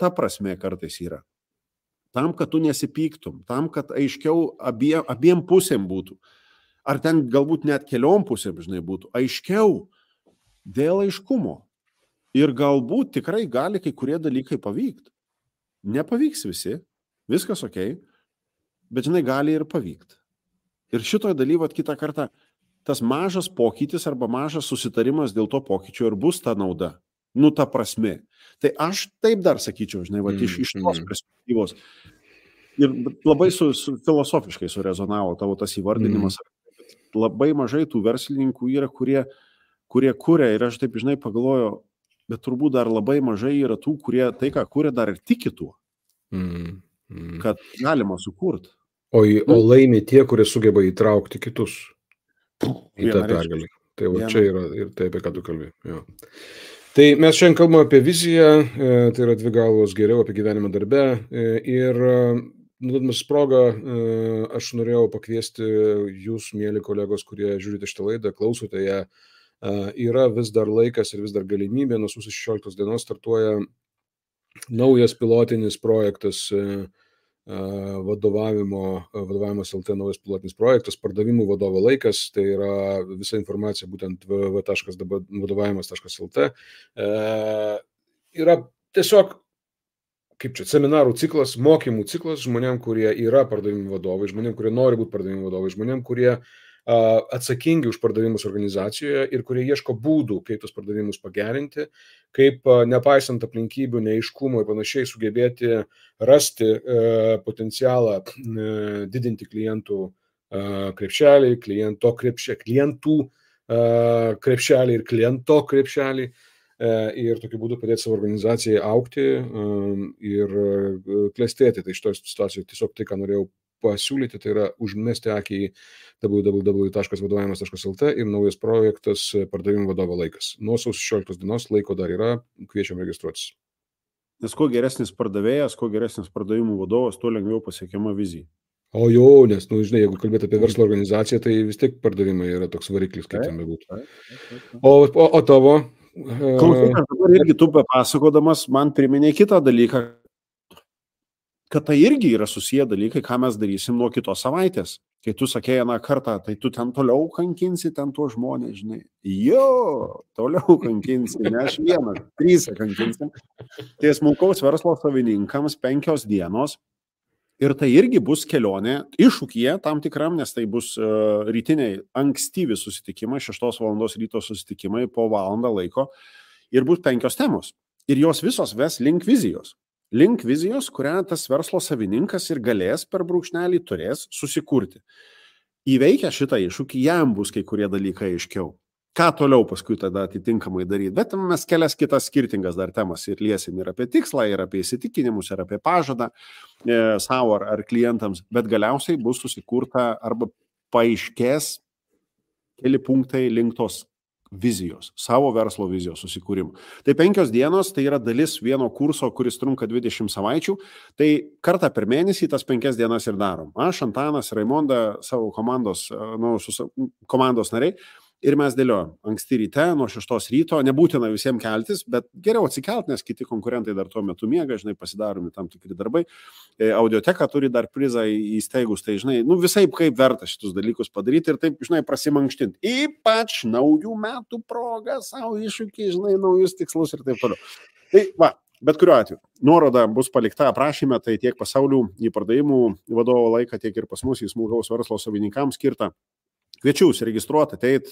ta prasme kartais yra. Tam, kad tu nesipyktum, tam, kad aiškiau abiem pusėm būtų. Ar ten galbūt net keliom pusėm, žinai, būtų. Aiškiau dėl aiškumo. Ir galbūt tikrai gali kai kurie dalykai pavykti. Nepavyks visi, viskas okei, bet, žinai, gali ir pavykti. Ir šitoje dalyvat kitą kartą tas mažas pokytis arba mažas susitarimas dėl to pokyčio ir bus ta nauda. Ta prasme. Tai aš taip dar sakyčiau, žinai, iš tos perspektyvos. Ir labai filosofiškai surezonavo tavo tas įvardinimas. Labai mažai tų verslininkų yra, kurie kuria, ir aš taip, žinai, pagalvoju, bet turbūt dar labai mažai yra tų, kurie tai, ką kuria, dar ir tiki tuo, kad galima sukurti. O laimi tie, kurie sugeba įtraukti kitus į tą pergalę. Tai čia yra ir tai, apie ką tu kalbėjai. Jo. Tai mes šiandien kalbame apie viziją, tai yra dvi galvos geriau apie gyvenimą darbe. Ir nuodamas progą, aš norėjau pakviesti jūs, mėly kolegos, kurie žiūrite šitą laidą, klausote ją. Yra vis dar laikas ir vis dar galimybė, nuo sausio 16 dienos startuoja naujas pilotinis projektas, vadovavimas LT naujas pilotinis projektas, pardavimų vadovo laikas, tai yra visa informacija būtent www.vadovavimas.lt. Yra tiesiog, kaip čia, seminarų ciklas, mokymų ciklas žmonėm, kurie yra pardavimų vadovai, žmonėm, kurie nori būti pardavimų vadovai, žmonėm, kurie atsakingi už pardavimus organizacijoje ir kurie ieško būdų, kaip tos pardavimus pagerinti, kaip nepaisant aplinkybių, neaiškumo ir panašiai sugebėti rasti potencialą didinti klientų krepšelį, klientų krepšelį ir kliento krepšelį ir tokiu būdu padėti savo organizacijai augti ir klestėti. Tai šitoje situacijoje tiesiog tai, ką norėjau pasiūlyti, tai yra užmesti akį į www.vadovavimas.lt ir naujas projektas pardavimų vadovo laikas. Nuo sausio 16 dienos laiko dar yra, kviečiam registruotis. Nes kuo geresnis pardavėjas, kuo geresnis pardavimų vadovas, tuo lengviau pasiekiama vizija. O jo, nes, žinai, jeigu kalbėti apie verslo organizaciją, tai vis tiek pardavimai yra toks variklis, kaip ten bebūtų. O tavo? Klausykas, dabar irgi tu papasakodamas man priminė kitą dalyką, kad tai irgi yra susiję dalykai, ką mes darysim nuo kitos savaitės. Kai tu sakėjai aną kartą, tai tu ten toliau kankinsi ten tuos žmonės, žinai. Jo, toliau kankinsi, ne aš vienas, 3 kankinsim. Tai smulkaus verslo savininkams 5 dienos. Ir tai irgi bus kelionė iššūkyje tam tikram, nes tai bus rytiniai ankstyvi susitikimai, 6 valandos ryto susitikimai po valandą laiko. Ir bus 5 temos. Ir jos visos ves link vizijos. Link vizijos, kurią tas verslo savininkas ir galės per brūkšnelį turės susikurti. Įveikę šitą iššūkį, jam bus kai kurie dalykai aiškiau. Ką toliau paskui tada atitinkamai daryti. Bet mes kelias kitas skirtingas dar temas ir liesim ir apie tikslą, ir apie įsitikinimus, ir apie pažadą savo ar klientams. Bet galiausiai bus susikurta arba paaiškės keli punktai link tos vizijos, savo verslo vizijos susikūrimo. Tai 5 dienos, tai yra dalis vieno kurso, kuris trunka 20 savaičių. Tai kartą per mėnesį tas 5 dienas ir darom. Aš, Antanas, Raimonda, savo komandos nariai. Ir mes dėliojom anksti ryte, nuo 6 ryto, nebūtina visiems keltis, bet geriau atsikelt, nes kiti konkurentai dar tuo metu miega, žinai, pasidaromi tam tikri darbai. Audioteka turi dar prizą įsteigus, tai žinai, visai kaip verta šitus dalykus padaryti ir taip, žinai, prasimankštinti. Ypač naujų metų proga, savo iššūkį, žinai, naujus tikslus ir taip toliau. Tai va, bet kuriuo atveju, nuoroda bus palikta aprašyme, tai tiek pasaulių į pardavimų vadovo laiką, tiek ir pas mus į smulkaus verslo savininkams skirtą. Kviečiu užsiregistruoti, ateit,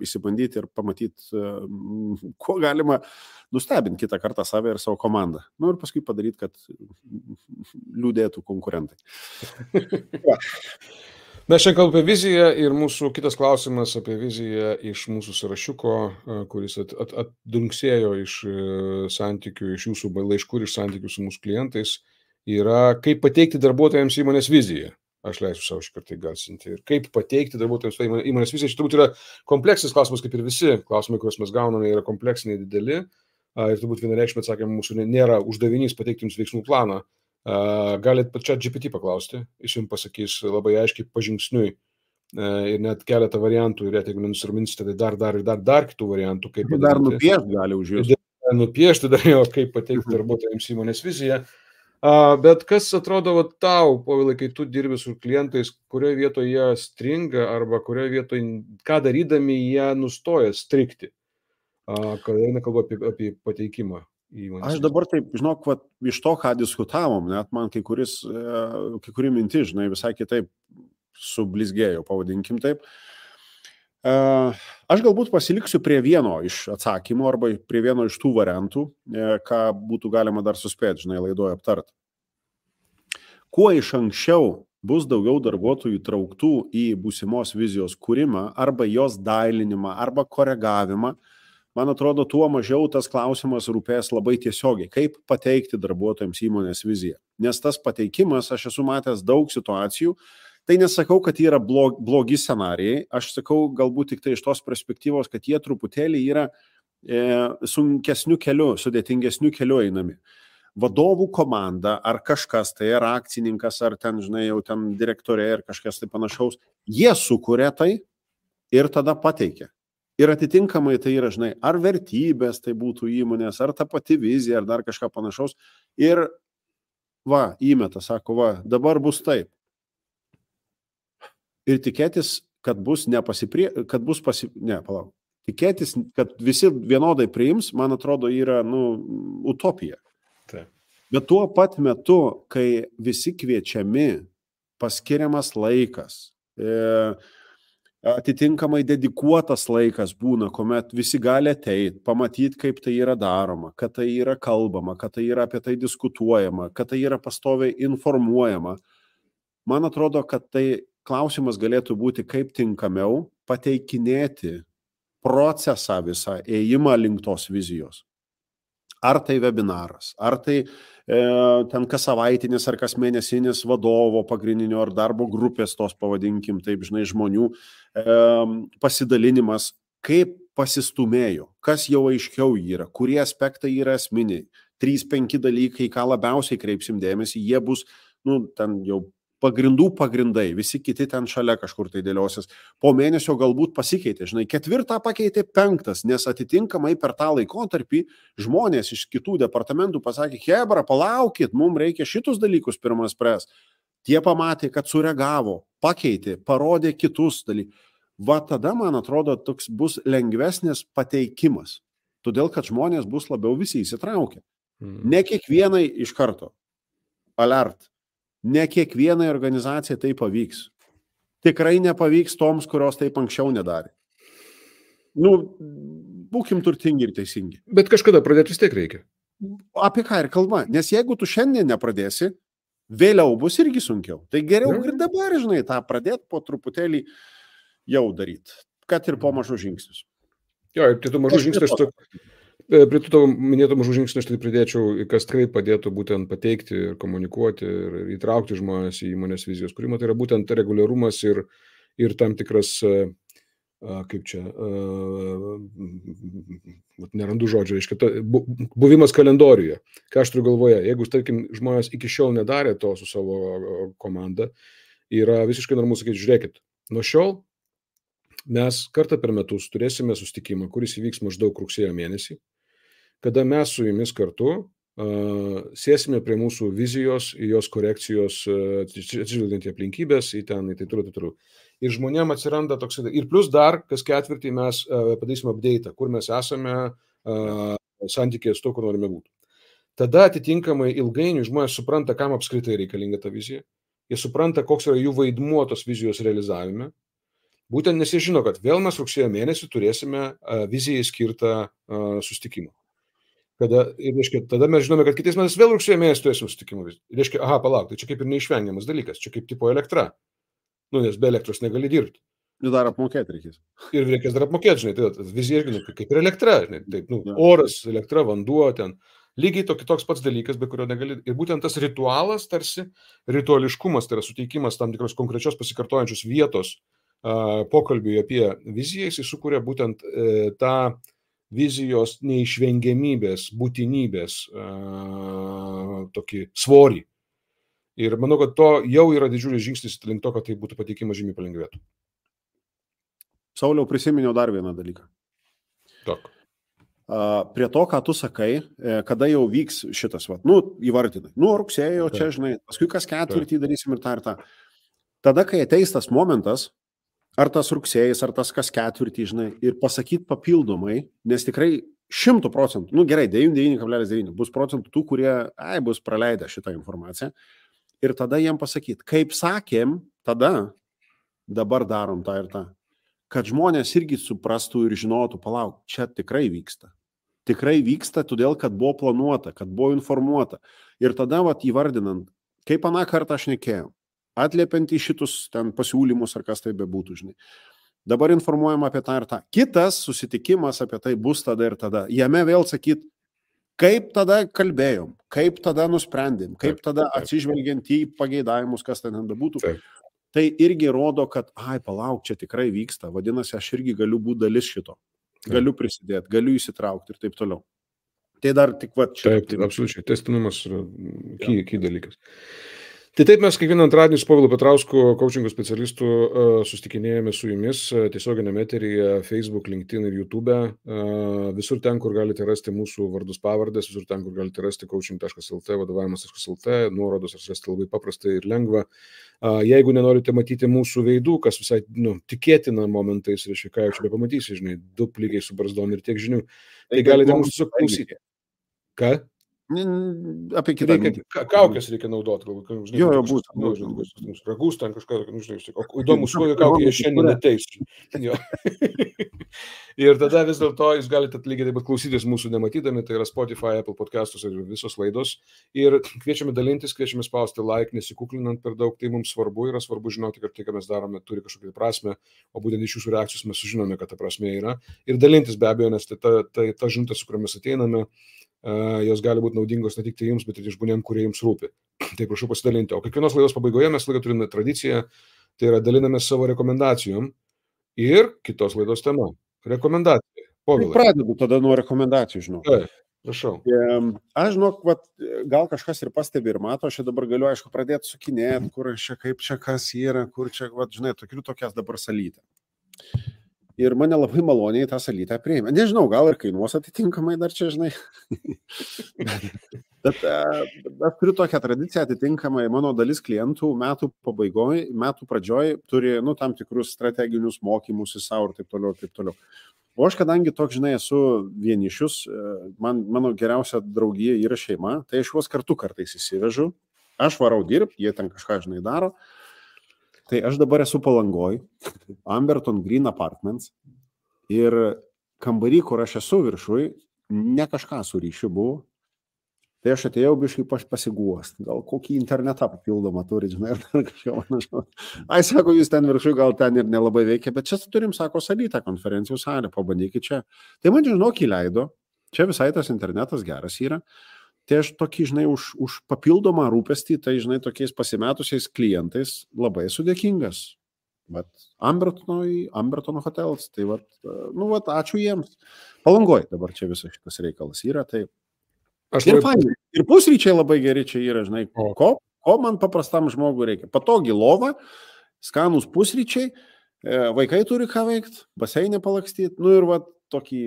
įsibandyti ir pamatyti, kuo galima nustebinti kitą kartą save ir savo komandą. Ir paskui padaryti, kad liūdėtų konkurentai. Mes šiandien kalbame apie viziją ir mūsų kitas klausimas apie viziją iš mūsų sąrašiuko, kuris atdunksėjo iš santykių, iš jūsų laiškų ir iš santykių su mūsų klientais, yra kaip pateikti darbuotojams įmonės viziją. Aš leisiu savo šį kartą įgarsinti. Ir kaip pateikti darbuotojams įmonės viziją. Šis turbūt yra kompleksinis klausimas, kaip ir visi klausimai, kuriuos mes gauname, yra kompleksiniai dideli. Ir turbūt vienareikšmiai atsakymai mūsų nėra uždavinys pateikti jums veiksmų planą. Galit pačią GPT paklausti, jis jums pasakys labai aiškiai pažingsniui ir net keletą variantų. Ir jeigu nenusirminsite, tai dar kitų variantų, kaip padaryti. Dar nupiešti gali už jūs. Nupiešti dar jo, kaip pateikti darbuotojams įmonės viziją. Bet kas atrodo tau, Povilai, kai tu dirbi su klientais, kurioje vietoje jie stringa arba kurioje vietoje, ką darydami jie nustoja strikti, kai eina kalba apie pateikimą įmonės? Aš dabar taip, žinok, iš to, ką diskutavom, net man kai kuri mintis, žinai, visai kitaip sublizgėjo, pavadinkim taip. Aš galbūt pasiliksiu prie vieno iš atsakymų arba prie vieno iš tų variantų, ką būtų galima dar suspėti, žinai, laidoje aptart. Kuo iš anksčiau bus daugiau darbuotojų trauktų į būsimos vizijos kūrimą arba jos dailinimą arba koregavimą, man atrodo, tuo mažiau tas klausimas rūpės labai tiesiogiai, kaip pateikti darbuotojams įmonės viziją. Nes tas pateikimas, aš esu matęs daug situacijų. Tai nesakau, kad yra blogi scenarijai, aš sakau galbūt tik tai iš tos perspektyvos, kad jie truputėlį yra sunkesnių kelių, sudėtingesnių kelių einami. Vadovų komanda ar kažkas, tai yra akcininkas, ar ten, žinai, jau ten direktorė ir kažkas tai panašaus, jie sukuria tai ir tada pateikia. Ir atitinkamai tai yra, žinai, ar vertybės tai būtų įmonės, ar ta pati vizija, ar dar kažką panašaus. Ir įmeta, sako, dabar bus taip. Ir tikėtis, kad tikėtis, kad visi vienodai priims, man atrodo, yra, utopija. Taip. Bet tuo pat metu, kai visi kviečiami, paskiriamas laikas, atitinkamai dedikuotas laikas būna, kuomet visi gali ateiti, pamatyti, kaip tai yra daroma, kad tai yra kalbama, kad tai yra apie tai diskutuojama, kad tai yra pastoviai informuojama. Man atrodo, kad tai klausimas galėtų būti, kaip tinkamiau pateikinėti procesą visą, ėjimą link tos vizijos. Ar tai webinaras, ar tai ten kas savaitinis ar kas mėnesinis vadovo pagrindinio ar darbo grupės tos, pavadinkim, taip, žinai, žmonių pasidalinimas, kaip pasistumėjo, kas jau aiškiau yra, kurie aspektai yra esminiai. 3-5 dalykai, ką labiausiai kreipsim dėmesį, jie bus, ten jau pagrindai, visi kiti ten šalia kažkur tai dėliosis. Po mėnesio galbūt pasikeitė, 4 pakeitė 5, nes atitinkamai per tą laikotarpį žmonės iš kitų departamentų pasakė, hebra, palaukit, mums reikia šitus dalykus pirmas spręs. Tie pamatė, kad sureagavo, pakeitė, parodė kitus dalykus. Va tada, man atrodo, toks bus lengvesnis pateikimas. Todėl, kad žmonės bus labiau visi įsitraukę. Ne kiekvienai iš karto. Alert. Ne kiekvienai organizacijai tai pavyks. Tikrai nepavyks toms, kurios taip anksčiau nedarė. Būkim turtingi ir teisingi. Bet kažkada pradėti vis tiek reikia. Apie ką ir kalba. Nes jeigu tu šiandien nepradėsi, vėliau bus irgi sunkiau. Tai geriau ir dabar, tą pradėti po truputėlį jau daryti. Kad ir po mažų žingsnius. Jo, ir tų mažų žingsnių prie tų tavo minėtų mažų žingsnių aš tai pridėčiau, kas tikrai padėtų būtent pateikti ir komunikuoti ir įtraukti žmonės į įmonės vizijos kūrimą. Tai yra būtent reguliarumas ir tam tikras, nerandu žodžio, reiškia, buvimas kalendoriuje. Ką aš turiu galvoje, jeigu, tarkim, žmonės iki šiol nedarė to su savo komanda, yra visiškai normalu sakyti, žiūrėkit, nuo šiol mes kartą per metus turėsime susitikimą, kuris įvyks maždaug rugsėjo mėnesį, kada mes su jumis kartu sėsime prie mūsų vizijos, jos korekcijos, atsižvelgiant į aplinkybės, į tai toliau. Ir žmonėm atsiranda toks, ir plus dar, kas ketvirtį mes padarysime update, kur mes esame santykėje su to, kur norime būti. Tada atitinkamai ilgainiui žmonės supranta, kam apskritai reikalinga ta vizija. Jie supranta, koks yra jų vaidmuo tos vizijos realizavime. Būtent nes jie žino, kad vėl mes rugsėjo mėnesį turėsime vizijai skirtą susitikimą. Tada mes žinome, kad kitais metais vėl rugsėjo mėnesį turėsime susitikimą. Reiškia, palauk, tai čia kaip ir neišvengiamas dalykas, čia kaip tipo elektra. Nes be elektros negali dirbti. Ir dar apmokėti reikės. Ir reikės dar apmokėti, tai vizija irgi kaip ir elektra, oras, elektra, vanduo ten. Lygiai toks pats dalykas, be kurio negali. Ir būtent tas ritualas, tarsi rituališkumas, tai yra suteikimas tam tikros konkrečios pasikartojančios vietos pokalbiui apie viziją, jis sukuria būtent tą vizijos neišvengiamybės, būtinybės tokį svorį. Ir manau, kad to jau yra didžiulis žingsnis link to, kad tai būtų pateikimas žymiai palengvėtų. Sauliau, prisiminiau dar vieną dalyką. Prie to, ką tu sakai, kada jau vyks šitas, įvardinai. Rugsėjo, čia, paskui kas ketvirtį darysim ir tą. Tada, kai ateis tas momentas, ar tas rugsėjais, ar tas kas ketvirtį, ir pasakyti papildomai, nes tikrai 100%, gerai, 99,9 bus procentų tų, kurie bus praleidę šitą informaciją. Ir tada jiem pasakyti, kaip sakėm, tada dabar darom tą ir tą. Kad žmonės irgi suprastų ir žinotų, palauk, čia tikrai vyksta. Tikrai vyksta, todėl, kad buvo planuota, kad buvo informuota. Ir tada įvardinant, kaip aną kartą aš nekėjau, atliepiant į šitus ten pasiūlymus, ar kas tai bebūtų, Dabar informuojam apie tą ir tą. Kitas susitikimas apie tai bus tada ir tada. Jame vėl sakyt, kaip tada kalbėjom, kaip tada nusprendėm, kaip tada atsižvelgiant į pageidavimus, kas ten bebūtų. Tai irgi rodo, kad, palauk, čia tikrai vyksta. Vadinasi, aš irgi galiu būti dalis šito. Galiu prisidėti, galiu įsitraukti ir taip toliau. Tai dar tik Taip, absoliučiai. Tęstinumas yra key dalykas. Tai taip mes kiekvieną antradienį su Povilu Petrausku, coachingo specialistu, susitikinėjame su jumis tiesioginėme eteryje Facebook, LinkedIn ir YouTube. Visur ten, kur galite rasti mūsų vardus pavardės, visur ten, kur galite rasti coaching.lt, vadovavimas.lt, nuorodos rasti labai paprastai ir lengva. Jeigu nenorite matyti mūsų veidų, kas visai tikėtina momentais, reiškia, ką jau čia bepamatysi, du plygiai su barzdom ir tiek žinių, tai galite mūsų klausyti. Ką? Apie kitą. Kaukės reikia naudoti. Jo, būtų. Ragus ten kažką, įdomus, kokią kaukę jie šiandien neteisiu. Ir tada vis dėlto jūs galite lygiai taip pat klausytis mūsų nematydami, tai yra Spotify, Apple podcastus ir visos laidos. Ir kviečiame dalintis, kviečiame spausti like, nesikuklinant per daug, tai mums svarbu, yra svarbu žinoti, kad tai, ką mes darome, turi kažkokią prasme, o būtent iš jūsų reakcijos mes sužinome, kad ta prasme yra. Ir dalintis be abejo, nes ta žinutė, su kuriomis ateiname, jos gali būti naudingos ne tik tai jums, bet ir žmonėm, kurie jums rūpi. Tai prašau pasidalinti. O kiekvienos laidos pabaigoje mes turime tradiciją, tai yra dalinamės savo rekomendacijom ir kitos laidos tema. Rekomendacija. Pradedu tada nuo rekomendacijų, žinau. Prašau. Aš žinok, gal kažkas ir pastebi ir mato, aš dabar galiu, aišku, pradėti sukinėti, kur aš čia, kaip čia, kas yra, kur čia, žinai, tokias dabar salytę. Ir mane labai maloniai tą salytę priėmė. Nežinau, gal ir kainuos atitinkamai dar čia, žinai. Bet aš turiu tokią tradiciją atitinkamai, mano dalis klientų metų pabaigoje, metų pradžioje turi, tam tikrus strateginius mokymus į savo ir taip toliau, ir taip toliau. O aš, kadangi toks, žinai, esu vienišius, mano geriausia draugija yra šeima, tai aš juos kartu kartais įsivežu, aš varau dirbti, jie ten kažką, žinai, daro. Tai aš dabar esu Palangoj, Amberton Green Apartments ir kambarį, kur aš esu viršui, ne kažką su ryšiu buvo. Tai aš atėjau biškai pasiguost, gal kokį internetą papildomą turi, žinai, ar kažką panašaus. Ai, sako, jūs ten viršui, gal ten ir nelabai veikia, bet čia turim, sako, salytą konferencijų salę, pabandykit čia. Tai man, žinok, įleido, čia visai tas internetas geras yra. Tai aš tokį, žinai, už papildomą rūpestį, tai, žinai, tokiais pasimetusiais klientais labai sudėkingas. Bet Amberton Hotels, tai ačiū jiems. Palangoj dabar čia visas šitas reikalas yra, tai ir pusryčiai labai geri čia yra, žinai, ko man paprastam žmogui reikia. Patogi lova, skanus pusryčiai, vaikai turi ką veikti, baseinė palakstyti, ir tokį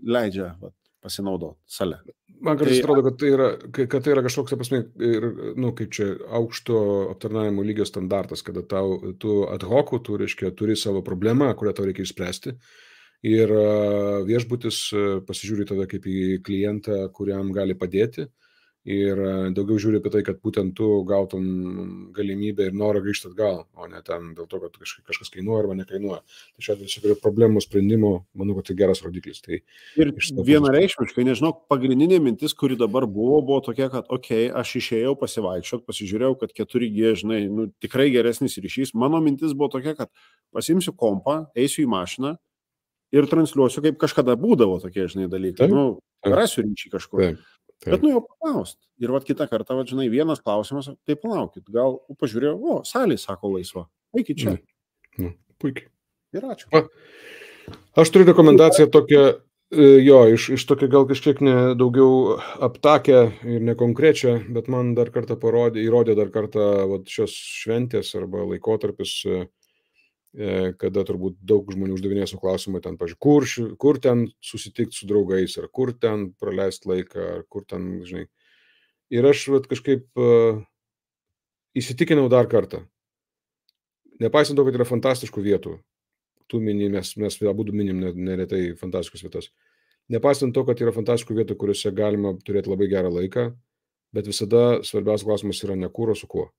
leidžia pasinaudoti salę. Man kartais atrodo, kad tai yra kažkoks, prasme, kaip čia aukšto aptarnavimo lygio standartas, kada tu ad hoc, turi savo problemą, kurią tau reikia išspręsti. Ir viešbutis pasižiūri tada kaip į klientą, kuriam gali padėti. Ir daugiau žiūri apie tai, kad būtent tu gautum galimybę ir norą grįžti atgal, o ne ten dėl to, kad kažkas kainuoja arba nekainuoja. Tai šiuo atveju problemų sprendimo, manau, kad tai geras rodiklis. Tai ir vienareikšmiškai, nežinau, pagrindinė mintis, kuri dabar buvo tokia, kad aš išėjau pasivaikščiot, pasižiūrėjau, kad 4G, žinai, tikrai geresnis ryšys. Mano mintis buvo tokia, kad pasimsiu kompą, eisiu į mašiną ir transliuosiu, kaip kažkada būdavo tokie, žinai, dalykai. Rasiu ryšį kažkur. Bet jau paklaust. Ir kitą kartą, žinai, vienas klausimas, tai palaukit, gal pažiūrėjau, salė, sako, laisva. Eikit čia. Puikiai. Ir ačiū. Aš turiu rekomendaciją tokią, iš tokio gal kažkiek daugiau aptakę ir nekonkrečią, bet man dar kartą įrodė dar kartą šios šventės arba laikotarpis, kada turbūt daug žmonių uždavinėsiu klausimą ten, pažiūrėjau, kur ten susitikti su draugais, ar kur ten praleisti laiką, ar kur ten, žinai. Ir aš kažkaip įsitikinau dar kartą. Nepaisant to, kad yra fantastiškų vietų, tu mini, mes abudu minim neretai fantastiškas vietas. Nepaisant to, kad yra fantastiškų vietų, kuriuose galima turėti labai gerą laiką, bet visada svarbiausias klausimas yra ne kur, o su kuo.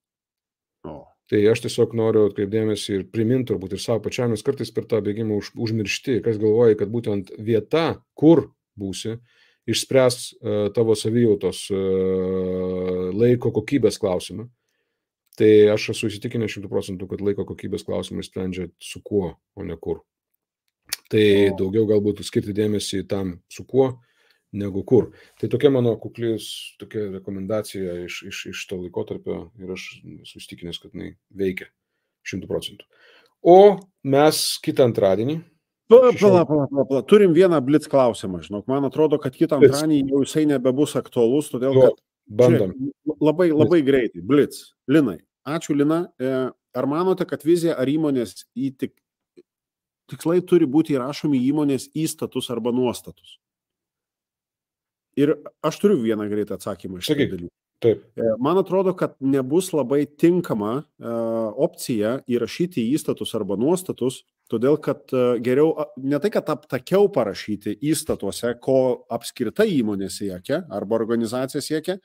Tai aš tiesiog noriu atkreipdėmėsi ir priminti turbūt ir savo pačiam, nes kartais per tą bėgimą užmiršti, kas galvoja, kad būtent vieta, kur būsi, išspręs tavo savijautos laiko kokybės klausimą. Tai aš esu įsitikinęs 100%, kad laiko kokybės klausimą sprendžia su kuo, o ne kur. Tai daugiau galbūt skirti dėmesį tam su kuo, negu kur. Tai tokia mano tokia rekomendacija iš to laikotarpio ir aš susitikinęs, kad jinai veikia 100%. O mes kitą antradienį. Pala. Turim vieną blitz klausimą, žinok. Man atrodo, kad kitą antradienį jau jisai nebebus aktualus, todėl kad bandom. Labai greitai. Blitz. Linai. Ačiū, Lina. Ar manote, kad vizija ar įmonės tikslai turi būti įrašomi įmonės įstatus arba nuostatus? Ir aš turiu vieną greitą atsakymą iš šitą dalykų. Taip. Man atrodo, kad nebus labai tinkama opcija įrašyti įstatus arba nuostatus, todėl kad geriau, ne tai, kad aptakiau parašyti įstatuose, ko apskritai įmonė siekia arba organizacija siekia,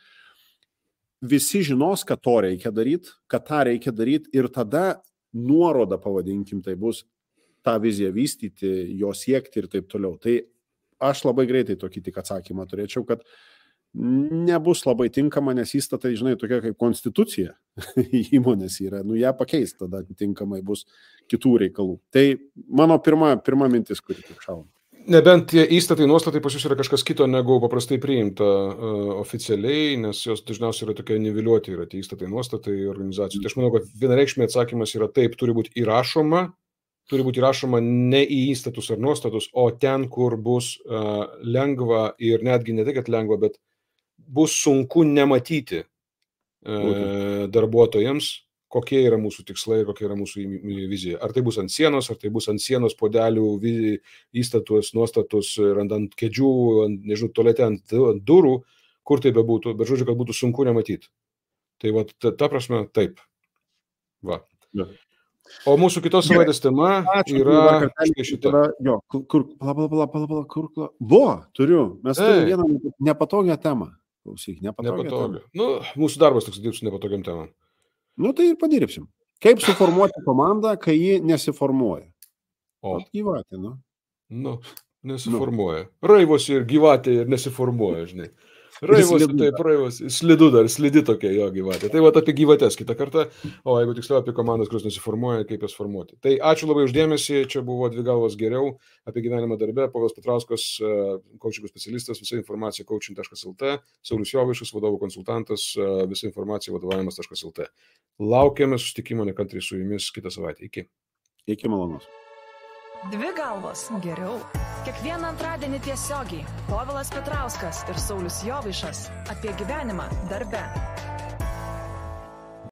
visi žinos, kad to reikia daryti, kad tą reikia daryti ir tada nuoroda, pavadinkim, tai bus tą viziją vystyti, jo siekti ir taip toliau. Tai aš labai greitai tokį tik atsakymą turėčiau, kad nebus labai tinkama, nes įstatai, žinai, tokia kaip konstitucija įmonės yra, ją pakeis, tada tinkamai bus kitų reikalų. Tai mano pirma mintis, kuri tik šauna. Nebent tie įstatai, nuostatai pas jūs yra kažkas kito, negu paprastai priimta oficialiai, nes jos dažniausiai yra tokie niveliuoti, yra tie įstatai, nuostatai organizacijų. Tai aš manau, kad vienareikšmiai atsakymas yra taip, turi būti įrašoma turi būti rašoma ne į įstatus ar nuostatus, o ten, kur bus lengva ir netgi ne tai, kad lengva, bet bus sunku nematyti darbuotojams, kokie yra mūsų tikslai, kokia yra mūsų vizija. Ar tai bus ant sienos, ar tai bus ant sienos podelių, įstatus, nuostatus, ant kėdžių, nežinau, tualete, ant durų, kur tai bebūtų, bet žodžiu, kad būtų sunku nematyti. Tai va, ta prasme, taip. Va. Ja. O mūsų kitos savaitės tema yra šitą. Turiu. Mes turime vieną nepatogią temą. Klausyk, nepatogią. Nu, mūsų darbas toks dirbs nepatogiam temam. Nu, tai ir padirbsim. Kaip suformuoti komandą, kai ji nesiformuoja? O. Gyvatė, nu. Nu, nesiformuoja. Raivosi ir gyvatė ir nesiformuoja, žinai. Raivosi, taip, raivosi. Slidu dar, slidi tokia jo gyvatė. Tai va apie gyvatės kitą kartą, o jeigu tiksliau apie komandas, kurios nesiformuoja, kaip jas formuoti. Tai ačiū labai uždėmesį, čia buvo Dvi galvos geriau, apie gyvenimą darbe, Povilas Petrauskas, coachingų specialistas, visa informacija coaching.lt, Saulius Jovaišas, vadovų konsultantas, visa informacija vadovavimas.lt. Laukiame susitikimo nekantriai su jumis kitą savaitę. Iki. Iki malonaus. Dvi galvos geriau. Kiekvieną antradienį tiesiogiai Povilas Petrauskas ir Saulius Jovaišas apie gyvenimą darbe.